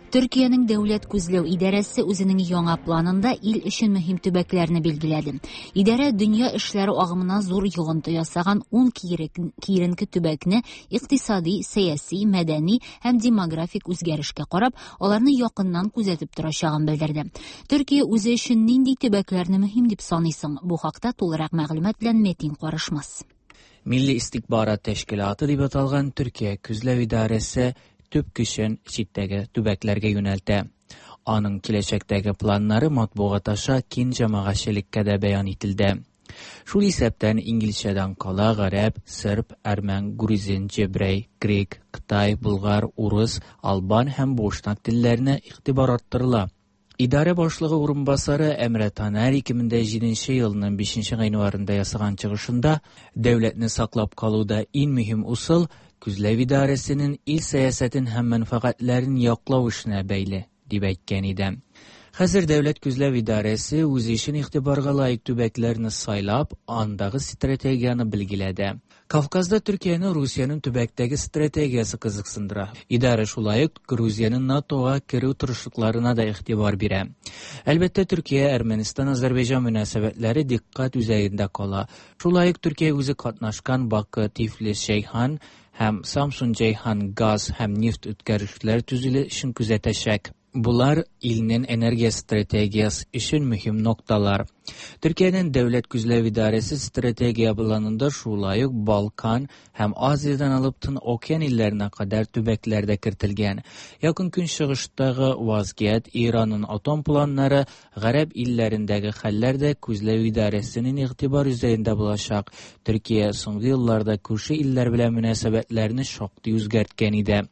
Speaker 1: Төркиянең дәүләт күзләү идарәсе үзенең яңа планында ил өчен мөһим төбәкләрне билгеләде. Идарә дөнья эшләре агымына зур йогынты ясаган ун киеренке төбәкне икътисади, сәяси, мәдәни һәм демографик үзгәрешкә карап, аларны якыннан күзәтеп торачагын белдерде. Төркия үзе өчен нинди төбәкләрне мөһим дип саныйсың? Бу хакта тулырак мәгълүмат белән Метин Карышмас.
Speaker 28: Милли истихбарат тәшкилаты дип аталган Төркия күзләү идарәсе төп көчен читтәге төбәкләргә юнәлтә. Аның киләчәктәге планнары матбугат аша киң җәмәгатьчелеккә дә бәян ителде. Шул исәптән инглизчәдән кала гарәп, серб, әрмән, грузин, җебрәй, грек, кытай, булгар, урыс, албан һәм бошнак телләренә игътибар арттырыла. Идарә башлыгы урынбасары Әмрә Танәр ике мең дә җиденче елның бишенче гыйнварында ясаган чыгышында дәүләтне саклап калуда иң мөһим усыл күзләү идарәсенең ил сәясәтен һәм мәнфәгатьләрен яклау эшенә бәйле, дип әйткән иде. Хәзер дәүләт күзләү идарәсе үзе өчен игътибарга лаек төбәкләрне сайлап, андагы стратегияне билгеләде. Кавказда Төркияне Русиянең төбәктәге стратегиясе кызыксындыра. Идарә шулай ук Грузиянең НАТОга керү тырышлыкларына да игътибар бирә. Әлбәттә, Төркия, Әрмәнстан, Азәрбайҗан мөнәсәбәтләре дикъкать үзәгендә кала. Шулай ук Төркия үзе катнашкан Бакы, Тифлис, Шәйхан һәм Самсун Җәйхан газ һәм нефть үткәргечләр төзелешен күзәтәчәк. Булар илнең энергия стратегиясе өчен мөһим нокталар. Төркиянең дәүләт күзләү идарәсе стратегия планында шулай ук Балкан һәм Азиядән алып Тын океан илләренә кадәр төбәкләр дә кертелгән. Якын Көнчыгыштагы вазгыять, Иранның атом планнары, гарәп илләрендәге хәлләр дә күзләү идарәсенең игътибар үзәгендә булачак. Төркия соңгы елларда күрше илләр белән мөнәсәбәтләрне шактый үзгәрткән иде.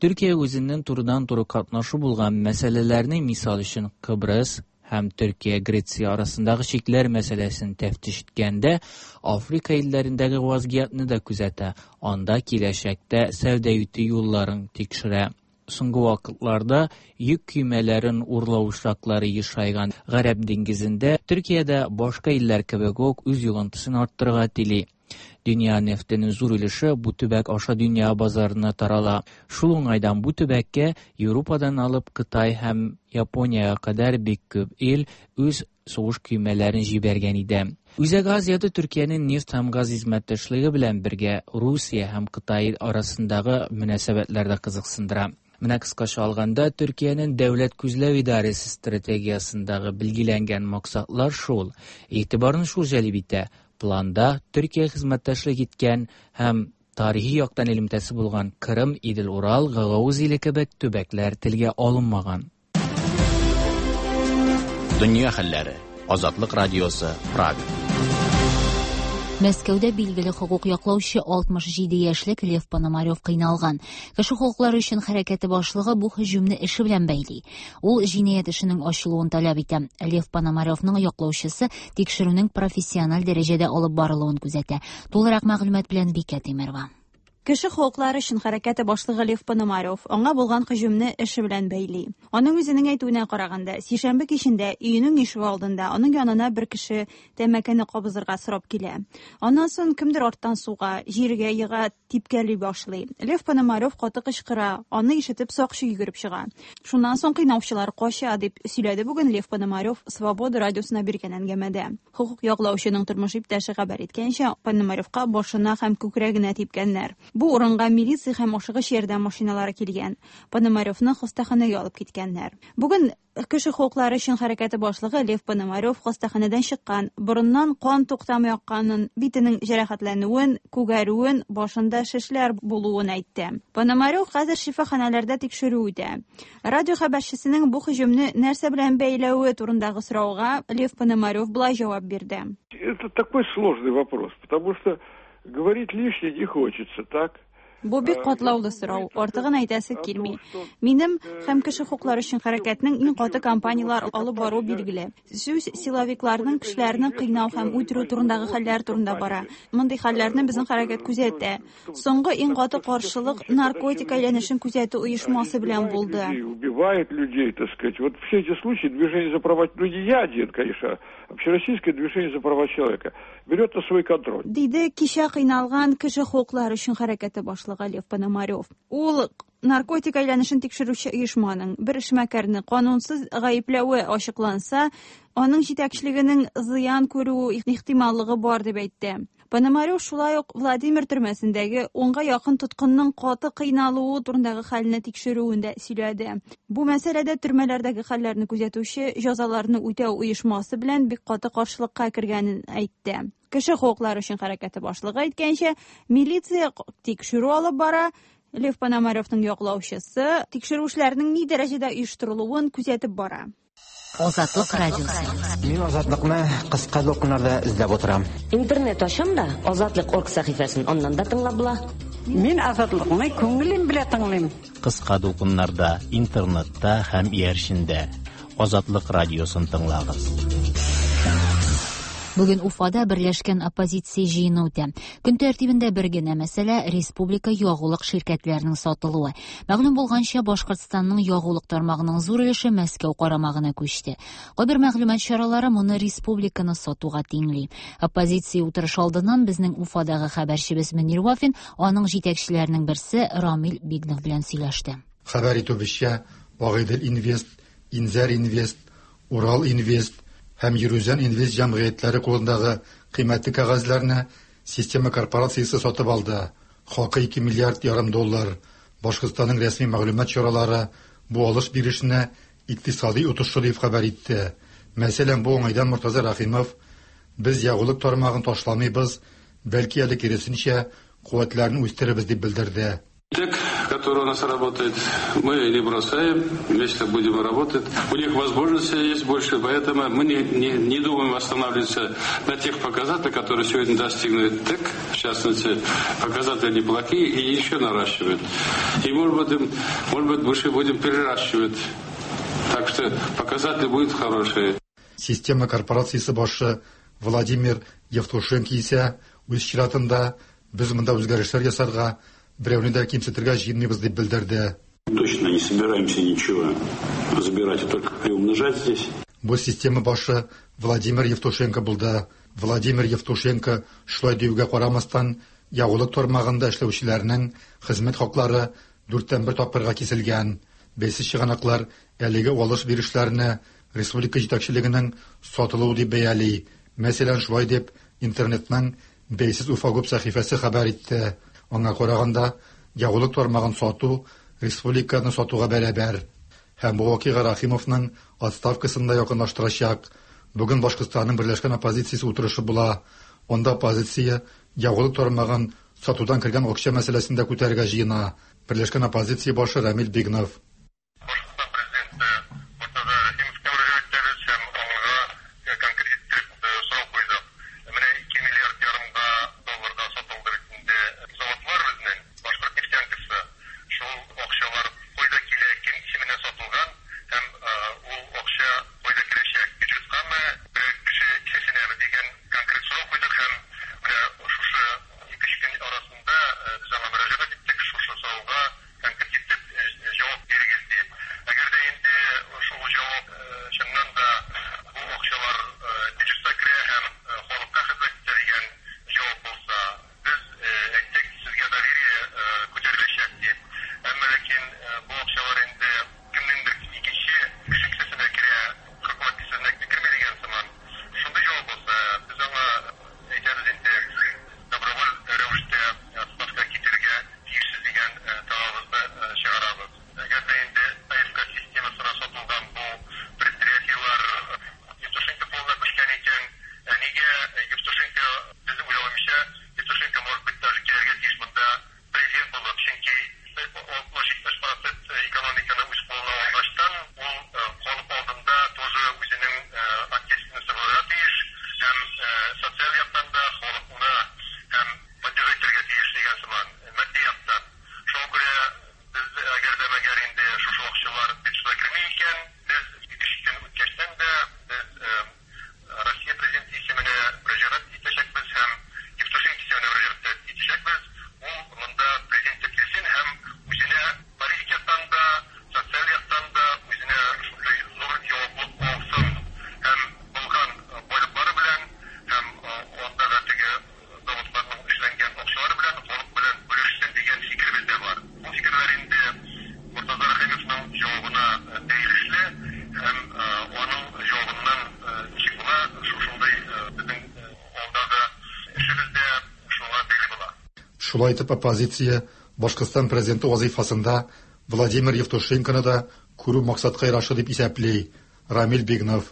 Speaker 28: Төркия үзенең турыдан-туры катнашы булган мәсьәләләрне, мисал өчен Кыбрыс һәм Төркия Греция арасындагы чикләр мәсьәләсен тәфтиш иткәндә, Африка илләрендәге вазгыятьне дә күзәтә, анда киләчәктә сәүдә итү юлларын тикшерә. Соңгы вакытларда йөк көймәләрен урлау очраклары ешайган Гарәп диңгезендә Төркия дә башка илләр кебек үк үз йогынтысын арттырырга тели. Дөнья нефтенең зур өлеше бу төбәк аша дөнья базарына тарала. Шул уңайдан бу төбәккә Европадан алып Кытай һәм Япониягә кадәр бик күп ил үз сугыш көймәләрен җибәргән иде. Үзәк Азиядә Төркиянең нефть һәм газ хезмәттәшлеге белән бергә Русия һәм Кытай арасындагы мөнәсәбәтләр дә кызыксындыра. Менә кыскача алганда, Төркиянең дәүләт күзләү идарәсе стратегиясендәге билгеләнгән максатлар шул. Игътибарны шул җәлеп итә. Планда Төркия хезмәттәшлек иткән һәм Тарихи яктан элемтәсе булган Кырым, Идел-Урал, Гагауз иле кебек төбәкләр телгә алынмаган.
Speaker 2: Дөнья хәлләре. Азатлык радиосы, Прага.
Speaker 1: Мәскәүдә билгеле хокук яклаучы алтмыш җиде яшьлек Лев Пономарев кыйналган. Кеше хокуклары өчен хәрәкәте башлыгы бу һөҗүмне эше белән бәйли. Ул җинаять эшенең ачылуын таләп итә. Лев Пономаревның яклаучысы тикшерүнең профессиональ дәрәҗәдә алып барылуын күзәтә. Тулырак мәгълүмат белән Бикә Тимерова.
Speaker 3: Кеше хокуклары өчен хәрәкәте башлыгы Лев Пономарев аңа булган һөҗүмне эше белән бәйли. Аның үзенең әйтүенә караганда, сишәмбе кичендә өенең ишеге алдында аның янына бер кеше тәмәкене кабызырга сорап килә. Аннан соң кемдер арттан суга, җиргә ега, типкәли башлый. Лев Пономарев каты кычкыра, аны ишетеп сакчы йөгереп чыга. Шуннан соң кыйнаучылар кача, дип сөйләде бүген Лев Пономарев Свобода радиосына биргән әңгәмәдә. Хокук яклаучының тормыш иптәше хәбәр иткәнчә, Пономаревка башына һәм күкрәгенә типкәннәр. Бу урынга милиция һәм ашыгыч ярдәм машиналары килгән. Пономаревны хастаханәгә алып киткәннәр. Бүген кеше хокуклары өчен хәрәкәте башлыгы Лев Пономарев хастаханәдән чыккан. Борыннан кан туктамый акканын, битенең җәрәхәтләнүен, күгәрүен, башында шешләр булуын әйтте. Пономарев хәзер шифаханәләрдә тикшерү үтә. Радио хәбәрчесенең бу һөҗүмне нәрсә белән бәйләве турындагы сорауга Лев Пономарев болай җавап бирде.
Speaker 22: Это такой сложный вопрос, потому что говорить лишнее не хочется, так?
Speaker 3: Бу бик катлаулы сорау, артыгын әйтәсе килми. Минем һәм кеше хокуклары өчен хәрәкәтнең иң каты кампаниялар алып баруы билгеле. Сүз силовикларның кешеләрне кыйнау һәм үтерү турындагы хәлләр турында бара. Мондый хәлләрне безнең хәрәкәт күзәтә. Соңгы иң каты каршылык наркотик әйләнешен күзәтү оешмасы белән булды.
Speaker 22: Убивает людей, так сказать. Вот все эти случаи движение за права людей, я один, конечно, общероссийское движение за права человека берет на свой контроль.
Speaker 3: Диде кичә кыйналган кеше хокуклары өчен хәрәкәте башлыгы Лев Пономарев. Ул наркотик әйләнешен тикшерүче оешманың бер эшмәкәрне канунсыз гаепләве ачыкланса, аның җитәкчелегенең зыян күрү ихтималлыгы бар дип әйтте. Пономарев шулай ук Владимир төрмәсендәге унга якын тоткынның каты кыйналуы турындагы хәлне тикшерүен дә сөйләде. Бу мәсьәләдә төрмәләрдәге хәлләрне күзәтүче җәзаларны үтәү оешмасы белән бик каты каршылыкка кергәнен әйтте. Кеше хокуклары өчен хәрәкәте башлыгы әйткәнчә, милиция тикшерү алып бара. Лев Пономаревның яклаучысы тикшерү эшләренең ни дәрәҗәдә оештырылуын күзәтеп бара.
Speaker 1: Азатлык радиосы.
Speaker 4: Мин Азатлыкны кыска дулкыннарда эзләп утырам.
Speaker 24: Интернет ачам да Азатлык орг сәхифәсен аннан да тыңлап була.
Speaker 7: Мин Азатлыкны күңелем белән тыңлыйм.
Speaker 2: Кыска дулкыннарда, интернетта һәм иярчендә Азатлык радиосын тыңлагыз.
Speaker 1: Бүген Уфада берләшкән оппозиция җыены үтә. Көн тәртибендә бер генә мәсьәлә республика ягулык ширкәтләренең сатылуы. Мәгълүм булганча, Башкортстанның ягулык тармагының зур өлеше Мәскәү карамагына күчте. Кайбер мәгълүмат чаралары моны республиканы сатуга тиңли. Оппозиция утырышы алдыннан безнең Уфадагы хәбәрчебез Мөнир Вафин аның җитәкчеләренең берсе Рамил Бигнов белән сөйләште.
Speaker 9: Хәбәр итүебезчә, Агыйдел Инвест, Инзәр Инвест, Урал Инвест һәм Йөрүзән Инвест җәмгыятьләре кулындагы кыйммәтле кәгазьләрне система корпорациясе сатып алды. Хакы ике миллиард ярым доллар. Башкортстанның рәсми мәгълүмат чаралары бу алыш-бирешне икътисади отышлы дип хәбәр итте. Мәсәлән, бу уңайдан Мортаза Рәхимов: "Без ягулык тармагын ташламыйбыз, бәлки әле киресенчә куәтләрне үстерәбез" дип белдерде.
Speaker 27: ТЭК, который у нас работает, мы не бросаем, вместе будем работать. У них возможности есть больше, поэтому мы не, не, не думаем останавливаться на тех показателях, которые сегодня достигнут ТЭК, в частности, показатели неплохие и еще наращивают. И может быть, может быть, больше будем переращивать. Так что показатели будут хорошие.
Speaker 9: Система корпорациясе башы Владимир Евтушенко исә үз чиратында без монда үзгәрешләр ясарга, берәүне дә кимсетергә җыенмыйбыз дип белдерде.
Speaker 5: Точно не собираемся ничего забирать, а только приумножать здесь.
Speaker 9: Бу система башы Владимир Евтушенко булды. Владимир Евтушенко шулай диюгә карамастан, ягулык тармагында эшләүчеләрнең хезмәт хаклары дүрттән бер тапкырга киселгән. Бәйсез чыганаклар әлеге алыш-бирешләрне республика җитәкчелегенең сатылуы дип бәяли. Мәсәлән, шулай дип интернетның бәйсез Уфагуб сәхифәсе хәбәр итте. Аңа караганда, ягулык тармагын сату республиканы сатуга бәрабәр. Һәм бу вакыйга Рәхимовның отставкасын да якынлаштырачак. Бүген Башкортстанның берләшкән оппозициясе утырышы була. Анда оппозиция ягулык тармагын сатудан кергән акча мәсьәләсен дә күтәрергә җыена. Берләшкән оппозиция башы Рамил Бигнов. Шулай итеп оппозиция Башкортстан президенты вазифасында Владимир Евтушенконы да күрү максатка ярашлы дип исәпли. Рамил Бигнов.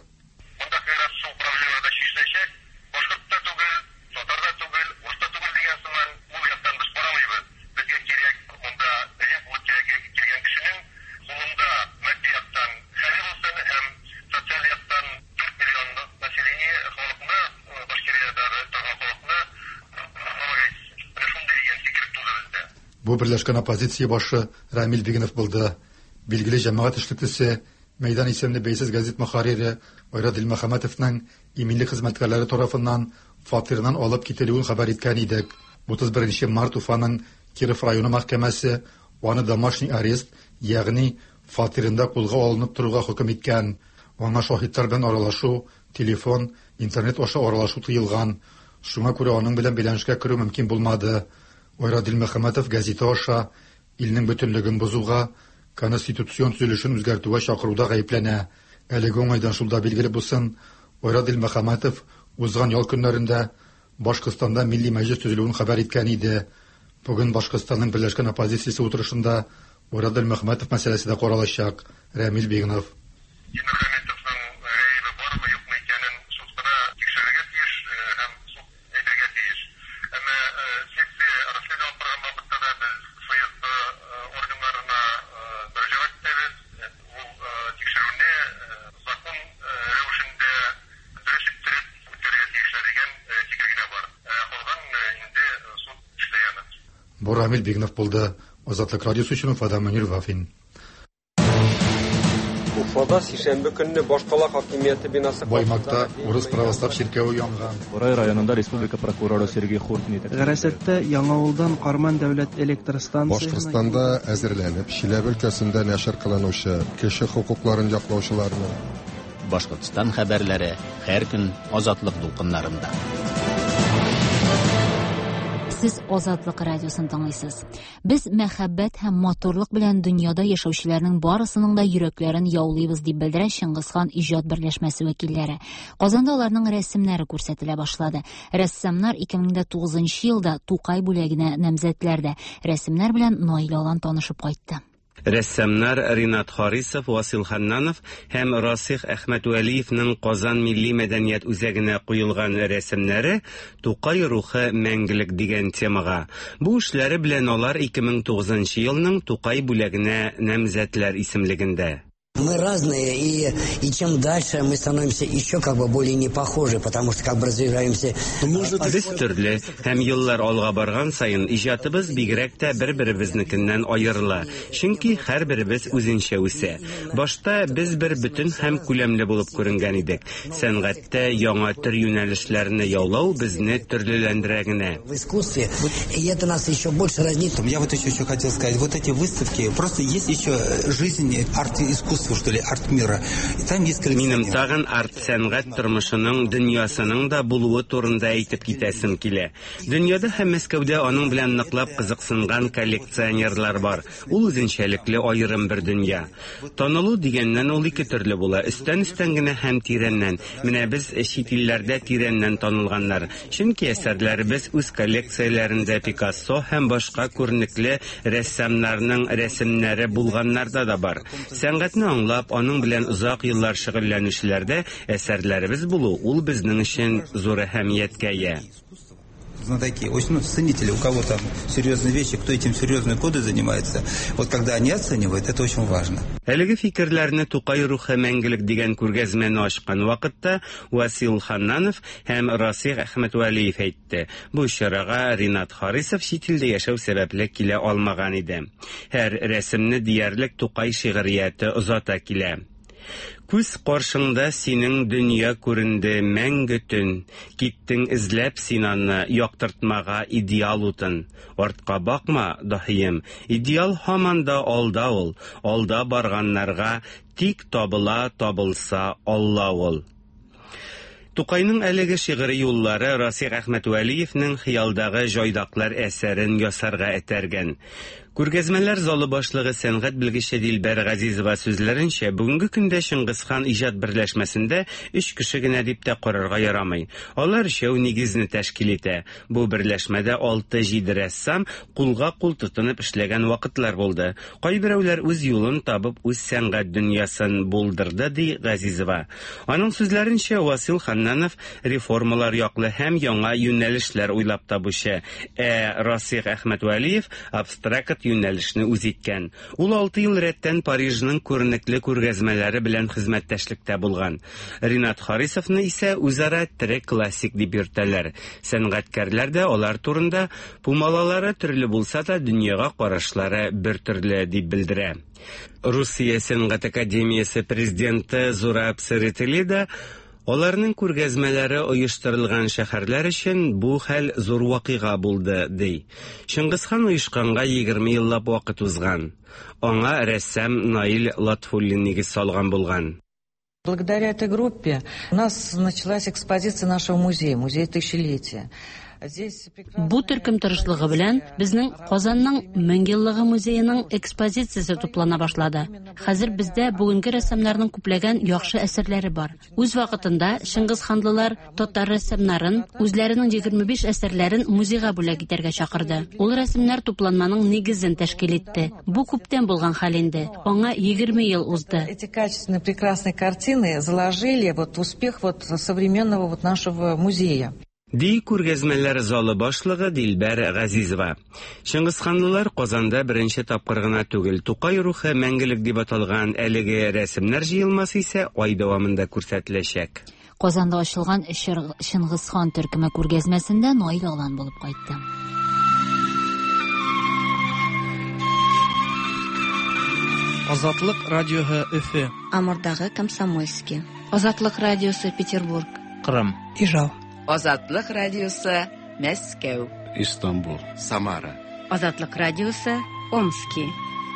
Speaker 9: Бу берләшкән оппозиция башы Рамил Бигнов булды. Билгеле җәмәгать эшлеклесе, Мәйдан исемле бәйсез газет мөхәррире Айрат Дилмөхәммәтовның иминлек хезмәткәрләре тарафыннан фатирыннан алып кителүен хәбәр иткән идек. утыз беренче март Уфаның Киров районы мәхкәмәсе аны домашний арест, ягъни фатирында кулга алынып торуга хөкем иткән. Аңа шаһитлар белән аралашу, телефон, интернет аша аралашу тыелган. Шуңа күрә аның белән бәйләнешкә керү мөмкин булмады. Айрат Дилмөхәммәтов газета аша илнең бөтенлеген бозуга, конституцион төзелешен үзгәртүгә чакыруда гаепләнә. Әлеге уңайдан шул да билгеле булсын, Айрат Дилмөхәммәтов узган ял көннәрендә Башкортстанда милли мәҗлес төзелүен хәбәр иткән иде. Бүген Башкортстанның берләшкән оппозициясе утырышында Айрат Дилмөхәммәтов мәсьәләсе дә каралачак. Рамил Бигнов. Бу Рамил Бигнов булды. Азатлык радиосы өчен Уфадан Мөнир Вафин.
Speaker 11: Уфада сишәмбе көнне башкала хакимияте бинасы
Speaker 9: Баймакта урыс православ чиркәве янган.
Speaker 6: Бурай районында республика прокуроры Сергей Хуртин
Speaker 10: Гарәсәттә Яңавылдан Карман дәүләт электр станциясенә
Speaker 12: Башкортстанда әзерләнеп, Чиләбе өлкәсендә нәшер кылынучы кеше хокукларын яклаучыларның
Speaker 2: Башкортстан хәбәрләре һәр көн Азатлык дулкыннарында.
Speaker 1: Сез Азатлык радиосын тыңлыйсыз. Без мәхәббәт һәм матурлык белән дөньяда яшәүчеләрнең барысының да йөрәкләрен яулыйбыз дип белдерә Чыңгызхан иҗат берләшмәсе вәкилләре. Казанда аларның рәсемнәре күрсәтелә башлады. Рәссамнар ике мең дә тугызынчы елда Тукай бүләгенә намзәтләр дә. Рәсемнәр белән Наил Алан танышып кайтты.
Speaker 8: Рәссамнар Ринат Харисов, Васил Ханнанов һәм Расих Әхмәтвәлиевның Казан милли мәдәният үзәгенә куелган рәсемнәре Тукай рухы мәңгелек дигән темага. Бу эшләре белән алар ике мең тугызынчы елның Тукай бүләгенә намзәтләр исемлегендә.
Speaker 13: Мы разные, и, и чем дальше мы становимся еще как бы более не похожи, потому что как бы развиваемся.
Speaker 8: Без төрле, һәм еллар алга барган саен иҗатыбыз бигрәк тә бер-беребезнекеннән аерыла. Чөнки һәрберебез үзенчә үсә. Башта без бер бөтен һәм күләмле булып күренгән идек. Сәнгатьтә яңа төр юнәлешләрне яулау безне төрлеләндерә генә.
Speaker 13: В искусстве, и это нас еще больше разнит.
Speaker 14: Я вот еще, еще хотел сказать, вот эти выставки, просто есть еще жизнь арт-искусства, что ли, арт-мира. И там есть
Speaker 8: Минем тагын арт-сәнгать тормышының, дөньясының да булуы турында әйтеп китәсем килә. Дөньяда һәм Мәскәүдә аның белән ныклап кызыксынган коллекционерлар бар. Ул үзенчәлекле аерым бер дөнья. Танылу дигәннән ул ике төрле була. Өстән-өстән генә һәм тирәннән. Менә без чит илләрдә тирәннән танылганнар. Чөнки әсәрләребез үз коллекцияләрендә Пикассо һәм башка күренекле рәссамнарның рәсемнәре булганнарда да бар. Сәнгатьне аңлап, аның белән озак еллар шөгыльләнүчеләрдә әсәрләребез булу ул безнең өчен зур әһәмияткә ия.
Speaker 14: Знатоки, очень, ну, ценители, у кого там серьезные вещи, кто этим серьезные годы занимается, вот когда они оценивают, это очень важно.
Speaker 8: Әлеге фикерләрне Тукай рухы мәңгелек дигән күргәзмәне ачкан вакытта Васил Ханнанов һәм Расих Әхмәтвәлиев әйтте. Бу чарага Ринат Харисов чит илдә яшәү сәбәпле килә алмаган иде. Һәр рәсемне диярлек Тукай шигърияте озата килә. Күз каршыңда синең дөнья күренде мәңге төн. Киттең эзләп син аны, яктыртмага идеал утын. Артка бакма, даһием, идеал һаман да алда ул. Алда барганнарга тик табыла табылса Алла ул. Тукайның әлеге шигъри юллары Расих Әхмәтвәлиевнең Хыялдагы җайдаклар әсәрен ясарга этәргән. Күргәзмәләр залы башлыгы сәнгать белгече Дилбәр Газизова сүзләренчә, бүгенге көндә Чыңгызхан иҗат берләшмәсендә өч кеше генә дип тә карарга ярамый. Алар өчәү нигезне тәшкил итә. Бу берләшмәдә алты-җиде рәссам кулга кул тотынып эшләгән вакытлар булды. Кайберәүләр үз юлын табып, үз сәнгать дөньясын булдырды, ди Газизова. Аның сүзләренчә, Васил Ханнанов реформалар яклы һәм яңа юнәлешләр уйлап табучы, ә Расих Әхмәтвәлиев абстракт юнәлешне үз иткән. Ул алты ел рәттән Парижның күренекле күргәзмәләре белән хезмәттәшлектә булган. Ринат Харисовны исә үзара тере классик дип йөртәләр. Сәнгатькәрләр дә алар турында пумалалары төрле булса да дөньяга карашлары бер төрле дип белдерә. Русия сәнгать академиясе президенты Зураб Церетели да аларның күргәзмәләре оештырылган шәһәрләр өчен бу хәл зур вакыйга булды, ди. Чыңгызхан оешканга егерме еллап вакыт узган. Аңа рәссам Наил Латфуллин нигез салган булган.
Speaker 15: Благодаря этой группе у нас началась экспозиция нашего музея, музей тысячелетия.
Speaker 16: Бу төркем тырышлыгы белән безнең Казанның мең еллыгы музееның экспозициясе туплана башлады. Хәзер бездә бүгенге рәссамнарның күпләгән яхшы әсәрләре бар. Үз вакытында Чыңгызханлылар татар рәссамнарын үзләренең егерме биш әсәрләрен музейга бүләк итәргә чакырды. Ул рәсемнәр тупланманың нигезен тәшкил итте. Бу күптән булган хәл инде. Аңа егерме ел узды.
Speaker 15: Эти качественные прекрасные картины заложили вот успех вот современного вот нашего музея.
Speaker 8: Ди күргәзмәләр залы башлыгы Дилбәр Газизова. Чыңгызханлылар Казанда беренче тапкыр гына түгел, Тукай рухы мәңгелек дип аталган әлеге рәсемнәр җыелмасы исә ай дәвамында күрсәтеләчәк.
Speaker 1: Казанда ачылган Чыңгызхан төркеме күргәзмәсендә Наил Алан булып кайтты.
Speaker 10: Азатлык радиоһы Өфе.
Speaker 18: Амурдагы Комсомольский. Азатлык радиосы Петербург.
Speaker 2: Кырым.
Speaker 19: Ижау.
Speaker 20: Азатлык радиосы Мәскәү.
Speaker 27: Истанбул. Самара.
Speaker 29: Азатлык радиосы Омски.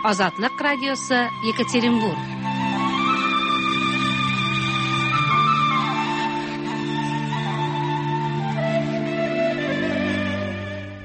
Speaker 29: Азатлык радиосы Екатеринбург.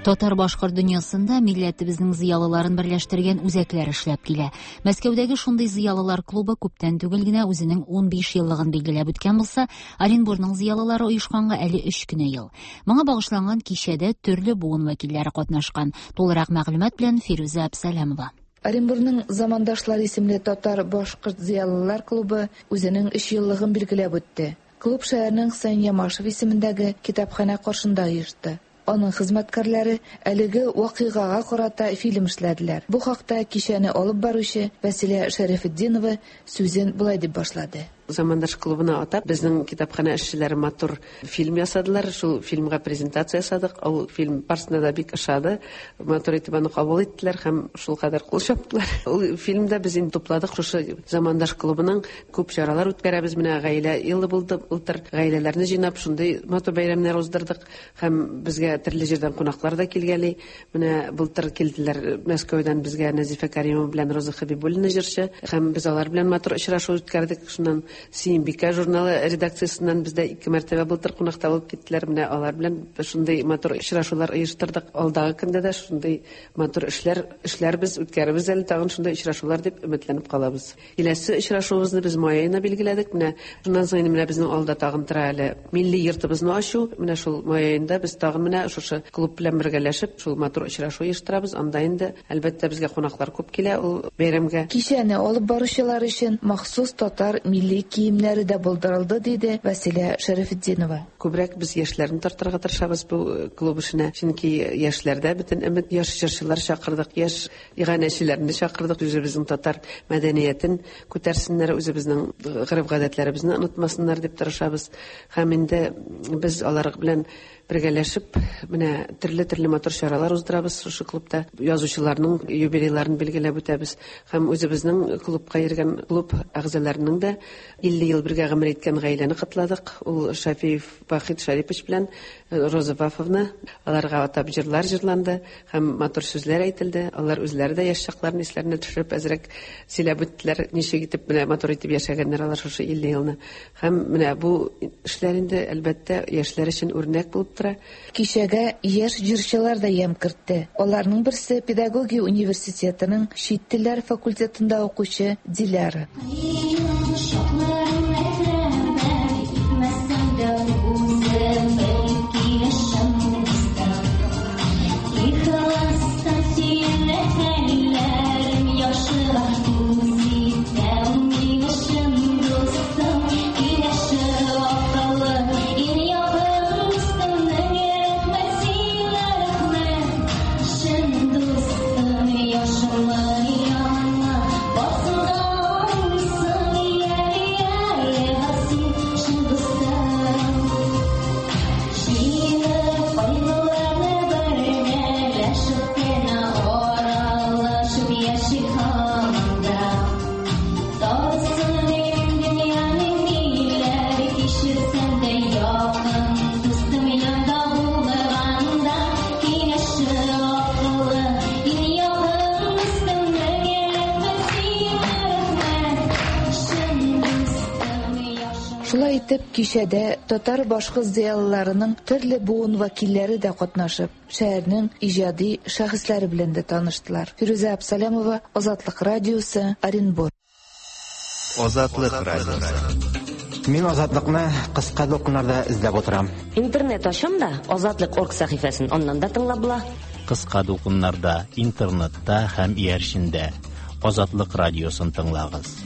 Speaker 1: Татар-башкорт дөньясында милләтебезнең зыялыларын берләштергән үзәкләр эшләп килә. Мәскәүдәге шундый зыялылар клубы күптән түгел генә үзенең унбиш еллыгын билгеләп үткән булса, Оренбургның зыялылары оешканга әле өч кенә ел. Моңа багышланган кичәдә төрле буын вәкилләре катнашкан. Тулырак мәгълүмат белән Фирүзә Абсалямова.
Speaker 3: Оренбурның Замандашлар исемле татар башкорт зыялылар клубы үзенең өч еллыгын билгеләп үтте. Клуб шәһәрнең Хөсәен Ямашев исемендәге китапханә каршында оешты. Аның хезмәткәрләре әлеге вакыйгага карата фильм эшләделәр. Бу хакта кичәне алып баручы Вәсилә Шәрәфетдинова сүзен болай дип башлады.
Speaker 17: Замандаш клубына атап, безнең китапханә эшчеләре матур фильм ясадылар. Шул фильмга презентация ясадык. Ул фильм барысына да бик ошады. Матур итеп аны кабул иттеләр һәм шул кадәр кул чаптылар. Ул фильмда без инде тупладык шушы Замандаш клубының күп чаралар үткәрәбез. Менә гаилә елы булды былтыр. Гаиләләрне җыйнап шундый матур бәйрәмнәр уздырдык һәм безгә төрле җирдән кунаклар да килгәли. Менә былтыр килделәр Мәскәүдән безгә Нәзифә Каримова белән Роза Хабибуллина җырчы һәм без алар белән матур очрашу үткәрдек. Шуннан Сөембикә журналы редакциясеннән бездә ике мәртәбә былтыр кунакта булып киттеләр. Менә алар белән шундый матур очрашулар оештырдык. Алдагы көндә дә шундый матур эшләр эшләрбез, үткәрербез әле тагын шундый очрашулар дип өметләнеп калабыз. Киләсе очрашуыбызны без май аена билгеләдек. Менә шуннан соң инде менә безнең алда тагын тора әле милли йортыбызны ачу. Менә шул май аенда без тагын менә шушы клуб белән бергәләшеп шул матур очрашу оештырабыз. Анда инде әлбәттә безгә кунаклар күп килә ул бәйрәмгә.
Speaker 3: Кичәне алып баручылар өчен махсус татар милли киемнәре дә булдырылды, диде Вәсилә Шәрәфетдинова.
Speaker 17: Күбрәк без яшьләрне тартырга тырышабыз бу клуб эшенә. Чөнки яшьләрдә бөтен өмет, яшь җырчылар чакырдык, яшь иганәчеләрне чакырдык. Үзебезнең татар мәдәниятен күтәрсеннәр, үзебезнең гореф-гадәтләребезне онытмасыннар дип тырышабыз. Һәм инде без алар белән бергәләшеп менә төрле-төрле матур чаралар уздырабыз шушы клубта. Язучыларның юбилейларын билгеләп үтәбез. Һәм үзебезнең клубка йөргән клуб әгъзаларының да илле ел бергә гомер иткән гаиләне котладык. Ул Шафиев Вахит Шарипович белән Роза Вафовна. Аларга атап җырлар җырланды һәм матур сүзләр әйтелде. Алар үзләре дә яшь чакларын исләренә төшереп әзрәк сөйләп үттеләр, ничек итеп менә матур итеп яшәгәннәр алар шушы илле елны. Һәм менә бу эшләр инде әлбәттә яшьләр өчен үрнәк булып тора.
Speaker 3: Кичәгә яшь җырчылар да ямь кертте. Аларның берсе педагогия университетының чит телләр факультетында укучы Диляра. Шулай итеп, кичәдә татар башкорт зыялыларының төрле буын вәкилләре дә катнашып, шәһәрнең иҗади шәхесләре белән дә таныштылар. Фирүзә Абсалямова, Азатлык радиосы, Оренбург.
Speaker 2: Азатлык радиосы.
Speaker 4: Мин Азатлыкны кыска дулкыннарда эзләп утырам.
Speaker 24: Интернет ачам да Азатлык орг сәхифәсен аннан да тыңлап була.
Speaker 2: Кыска дулкыннарда, интернетта һәм иярчендә Азатлык радиосын тыңлагыз.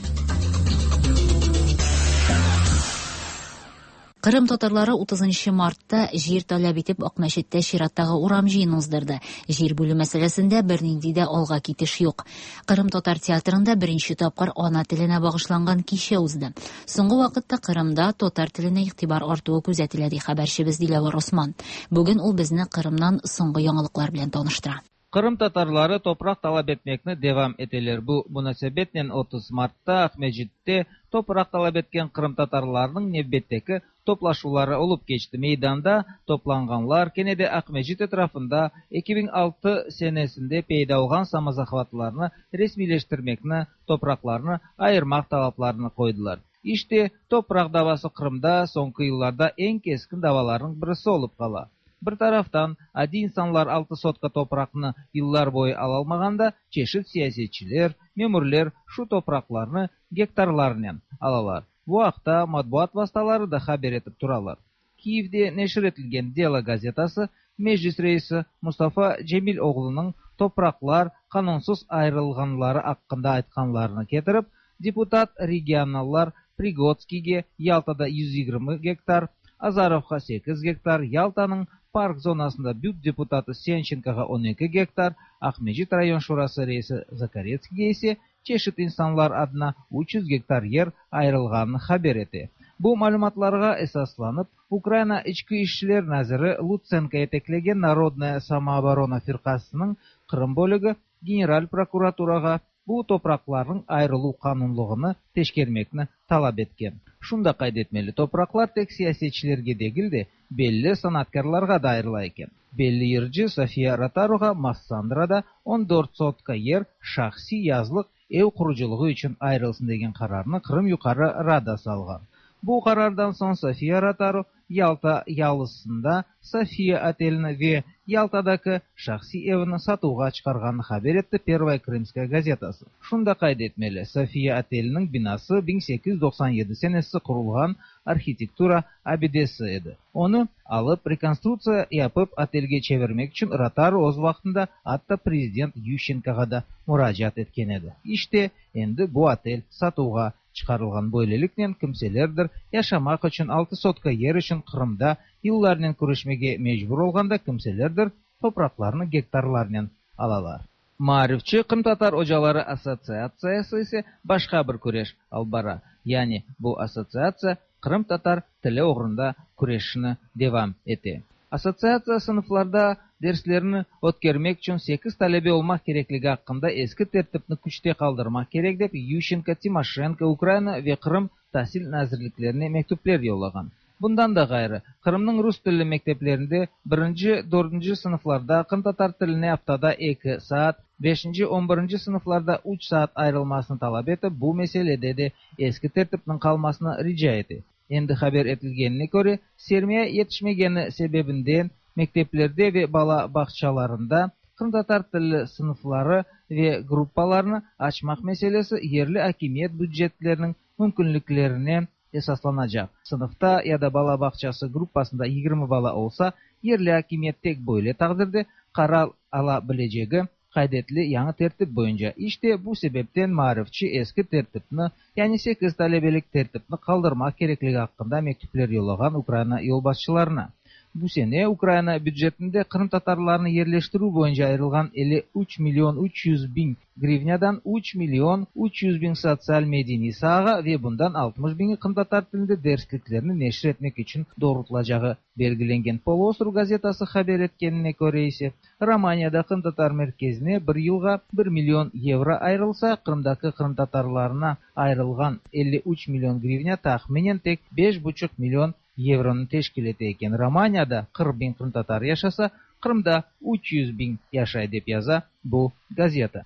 Speaker 1: Кырым татарлары утызынчы мартта җир таләп итеп Акмәчеттә чираттагы урам җыены уздырды. Җир бүлү мәсьәләсендә бернинди дә алга китеш юк. Кырым татар театрында беренче тапкыр ана теленә багышланган кичә узды. Соңгы вакытта Кырымда татар теленә игътибар артуы күзәтелә, ди хәбәрчебез Диләвәр Осман. Бүген ул безне Кырымнан соңгы яңалыклар белән таныштыра.
Speaker 19: Кырым татарлары топрак талап etmekni devam eteler. Bu münasebetnen otuz Мартта Акмәчеттә топрак талап еткән Кырым татарларының нәүбәттәге топlaşулары олып кечте. Мейданда топланганлар кене дә Акмәчет этрafында ике мең алты сенесендә пәйда булган самозахватларны рәсмиләштермекне, топракларны айырмак талапларын койдылар. Иште топрак давасы Кырымда соңгы елларда иң кескен даваларның берсе булып кала. Bir taraftan adi insanlar altı sotka toprakını yıllar boyu alalmağanda çeşit siyasetçiler, memurlar şu topraklarını gektarlarla alalar. Bu haqda matbuat vasıtaları da haber etip turalar. Kiev'de neşir etilgen Dela gazetası Meclis reisi Mustafa Cemiloğlu'nun topraqlar qanunsız ayırılğanları aqqında aytqanlarını ketirip, deputat regionallar Prigodskiyge Yaltada yüz yigirmi gektar, Azarovğa sekiz gektar, Yaltanıñ park zonasında B Ü T deputatı Sençenkoğa on eki gektar, Aqmescit rayon şurası reisi Zakaretskiyge ise çeşit insanlar adına üç yüz gektar yer ayırılğanını haber ete. Bu malümatlarğa esaslanıp, Ukraina İçki işler naziri Lutsenko yeteklegen Narodnaya samooborona firqasınıñ Qırım bölügi General prokuraturağa bu topraqlarnıñ ayırıluv qanunlığını teşkermekni talap etken. Şunı da qayd etmeli, topraqlar tek siyasetçilerge degil de, belli sanatkârlarğa da ayırıla eken. Belli yırcı Sofiya Rotaruğa Massandrada on dört sotka yer şahsiy yazlıq ev qurucılığı içün ayırılsın degen qararnı Qırım Yuqarı Radası alğan. Bu qarardan soñ Sofiya Rotaru Yalta yalısında Sofiya otelini ve Yaltadaki şahsiy evini satuvğa çıqarğanını haber etti Pervaya Krımskaya gazetası. Şunı da qayd etmeli, Sofiya oteliniñ binası biñ sekiz yüz doqsan yedi senesi qurulğan arhitektura abidesi edi. Onı alıp, rekonstruktsiya yapıp, otelge çevirmek içün Rotaru öz vaqtında atta prezident Yuşçenkoğa da muracaat etken edi. İşte, endi bu otel satuvğa çıqarılğan. Böyleliknen kimselerdir yaşamaq içün altı sotka yer içün Qırımda yıllarnen küreşmege mecbur olğanda kimselerdir topraqlarnı gektarlarnen alalar. Maarifçi Qırımtatar ocaları assotsiatsiyası ise başqa bir küreş alıp bara. Yani bu assotsiatsiya qırımtatar tili oğrunda küreşini devam ete. Assotsiatsiya sınıflarda derslerini ötkermek içün sekiz talebe olmaq kerekligi aqqında eski tertipni küçte qaldırmaq kerek dep Yuşçenko, Timoşenko, Ukraina ve Qırım tasil nazirliklerine mektüpler yollağan. Bundan da ğayrı, Qırımnıñ rus tilli mekteplerinde birinci, dördünci sınıflarda qırımtatar tiline aftada eki saat, beşinci, on birinci sınıflarda üç saat ayırılmasını talap etip, bu meselede de eski tertipniñ qalmasını rica ete. Endi haber etilgenine köre, sermiya yetişmegeni sebebinden mekteplerde ve bala bağçalarında qırımtatar tilli sınıfları ve gruppalarını açmaq meselesi yerli akimiyet bücetleriniñ mümkünliklerine esaslanacaq. Sınıfta ya da bala bağçası gruppasında yigirmi bala olsa, yerli akimiyet tek böyle taqdirde qarar ala bilecegi qayd etile yañı tertip boyunca. İşte bu sebepten maarifçi eski tertipni, yani sekiz talebelik tertipni qaldırmaq kerekligi aqqında mektüpler yollağan Ukraina yolbaşçılarına. Bu sene Ukraina bücetinde qırımtatarlarnı yerleştirüv boyunca ayırılğan elli üç million üç yüz biñ grivnâdan üç million üç yüz biñ sotsial medeniy saağa ve bundan altmış biñi qırımtatar tilinde dersliklerni neşir etmek içün doğrultılacağı belgilengen. Poluostrov gazetası haber etkenine köre ise, Romaniyada qırımtatar merkezine bir yılğa bir million yevro ayırılsa, Qırımdaki qırımtatarlarına ayırılğan elli üç million grivnâ tahminen tek beş buçuq million yevronı teşkil ete eken. Romaniyada qırq biñ qırımtatar yaşasa, Qırımda üç yüz biñ yaşay dep yaza bu gazeta.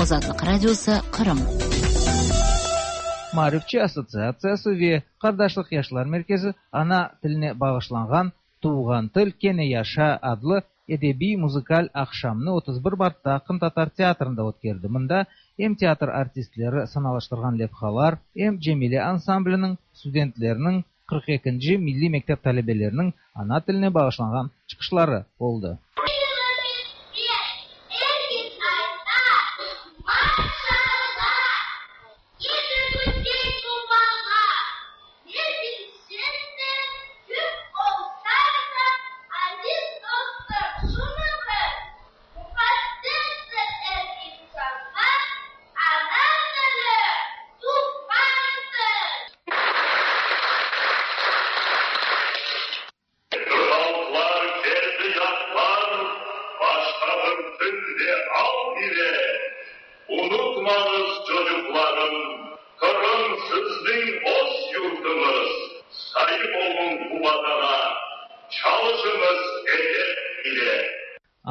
Speaker 1: Azatlıq Radiosı, Qırım.
Speaker 19: Maarifçi assotsiatsiyası ve Qardaşlıq yaşlar merkezi ana tiline bağışlanğan Tuvğan til kene yaşa adlı edebiy muzıkal aqşamnı otuz bir martta Qırımtatar teatrında ötkerdi. Mında em teatr artistleri sanalaştırğan levhalar, em Cemile ansambliniñ studentleriniñ qırq ekinci milliy mektep talebeleriniñ ana tiline bağışlanğan çıqışları oldı.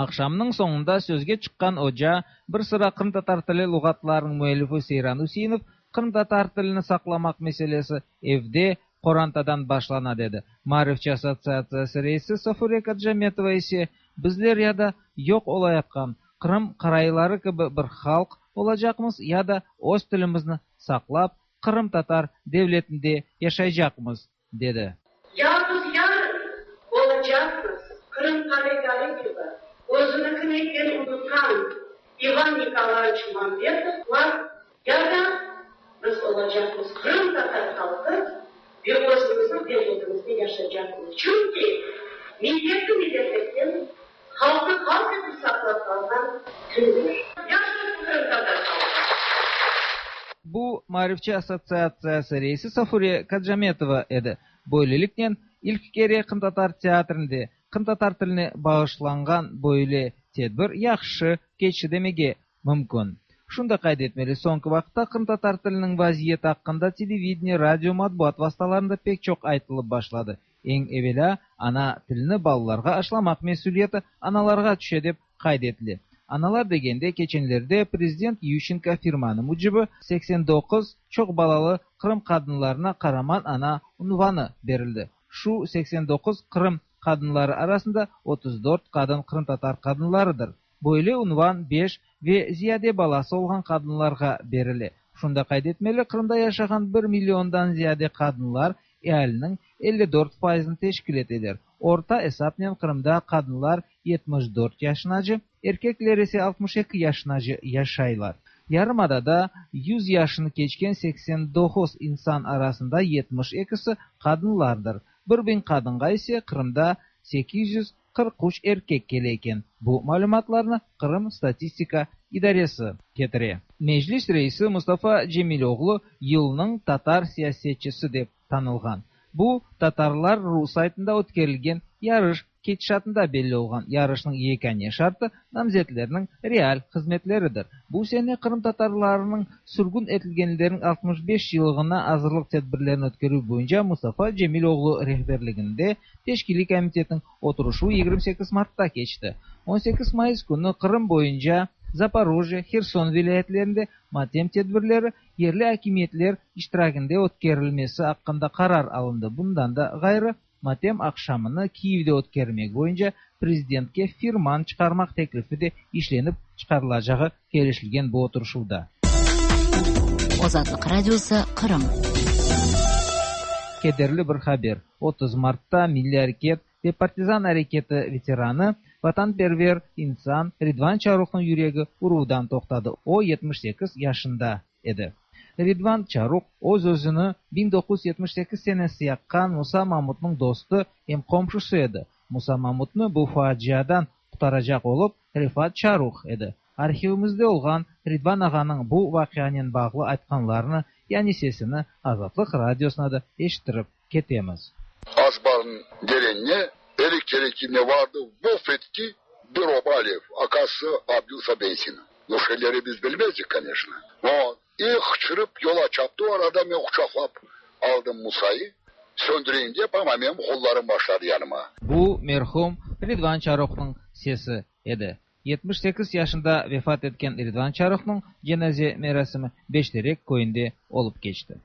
Speaker 19: Aqşamnıñ soñunda sözge çıqqan oca, bir sıra qırımtatar tili luğatlarınıñ müellifi Seyran Üseinov, qırımtatar tilini saqlamaq meselesi evde, qorantadan başlana, dedi. Maarifçi assotsiatsiyası reisi Safure Kacametova ise, bizler ya da yoq olayatqan Qırım qarayları kibi bir halq olacaqmız, ya da öz tilimizni saqlap, qırımtatar devletinde yaşaycaqmız, dedi.
Speaker 5: Ya biz yarın olacaqmız Qırım qarayları kibi, öz Özüniñkini pek unutqan İvan Nikolayeviç Mambetovlar ya da biz olacaqmız qırımtatar halqı ve özümizniñ devletimizde yaşaycaqmız. Çünki milletni milletlikten, halqnı halq etip saqlap qalğan tildir. Yaşasın qırımtatar halqı!
Speaker 19: Bu Maarifçi assotsiatsiyası reisi Safure Kacametova edi. Böyleliknen, ilk kere qırımtatar teatrinde qırımtatar tiline bağışlanğan böyle tedbir yahşı keçti demege mümkün. Şunı da qayd etmeli, soñki vaqıtta qırımtatar tiliniñ vaziyeti aqqında televideniye, radio, matbuat vastalarında pek çoq aytılıp başladı. Eñ evelâ, ana tilini balalarğa aşlamaq mesüliyeti analarğa tüşe dep qayd etile. Analar degende, keçenlerde prezident Yuşçenko firmanı mücibi seksen doquz çoq balalı Qırım qadınlarına Qaraman ana unvanı berildi. Şu seksen doquz Qırım qadınları arasında otuz dört qadın qırımtatar qadınlarıdır. Böyle unvan beş ve ziyade balası olğan qadınlarğa berile. Şunı da qayd etmeli, Qırımda yaşağan bir milliondan ziyade qadınlar ealiniñ elli dört fayızını teşkil eteler. Orta esapnen Qırımda qadınlar yetmiş dört yaşınace, erkekler ise altmış eki yaşınace yaşaylar. Yarımadada yüz yaşını keçken seksen doquz insan arasında yetmiş ekisi qadınlardır. Bir biñ qadınğa ise Qırımda sekiz yüz qırq üç erkek kele eken. Bu malümatlarnı Qırım statistika idaresi ketire. Meclis reisi Mustafa Cemiloğlu yılnıñ tatar siyasetçisi dep tanılğan. Bu, Tatarlar ru saytında ötkerilgen yarış ketişatında belli olğan. Yarışnıñ yekâne şartı namzetlerniñ real hızmetleridir. Bu sene qırımtatarlarnıñ sürgün etilgenleriniñ altmış beş yıllığına azırlıq tedbirlerini ötkerüv boyunca Mustafa Cemiloğlu rehberliginde teşkiliy komitetniñ oturışuvı yigirmi sekiz martta keçti. On sekiz mayıs künü Qırım boyunca Zaporojye, Herson vilâyetlerinde matem tedbirleri yerli akimiyetler iştiraginde ötkerilmesi aqqında qarar alındı. Bundan da ğayrı, matem aqşamını Kiyevde ötkermek boyunca prezidentke firman çıqarmaq teklifi de işlenip çıqarılacağı kelişilgen bu oturışuvda.
Speaker 1: Azatlıq Radiosı, Qırım.
Speaker 19: Kederli bir haber. Otuz martta Milliy areket ve partizan areketi veteranı, vatanperver insan Ridvan Çaruhnıñ yüregi uruvdan toqtadı. O, yetmiş sekiz yaşında edi. Ridvan Çaruh öz-özüni biñ doquz yüz yetmiş sekiz senesi yaqqan Musa Mamutnıñ dostu em qomşusı edi. Musa Mamutnı bu faciadan qurtaracaq olıp, Refat Çaruh edi. Arhivimizde olğan Ridvan ağanıñ bu vaqianen bağlı aytqanlarını, yani sesini Azatlıq Radiosına da eşittirip ketemiz.
Speaker 7: Azbarın derenine elektrikine vardı, vuf etti bir oba alev, akası Abdülsa Beysin. Bu şeyleri biz bilmezdik, конечно. O, и hıçırıp yola çaptı, o arada men quçaqlap aldım Musayı, söndüreyim dep, ama menim qollarım başladı yanıma.
Speaker 19: Bu merhum Ridvan Çaruhnıñ sesi edi. Yetmiş sekiz yaşında vefat etken Ridvan Çaruhnıñ cenaze merasimi Beşterek köyünde olıp keçti.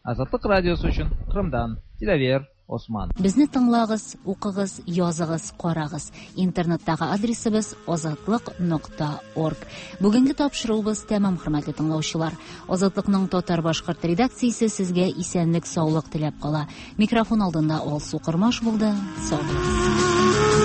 Speaker 19: Azatlıq Radiosı içün Qırımdan Dilâver Osman.
Speaker 1: Bizni tıñlañız, oquñız, yazıñız, qarañız. İnternettegi adresimiz azatlıq nokta org. Bugünki tapşıruvımız tamam, hürmetli tıñlavcılar. Azatlıqnıñ tatar-başqırt redaktsiyası sizge esenlik, sağlıq tilep qala. Mikrofon aldında Alsu Qırmaş boldı. Sağ boluñız.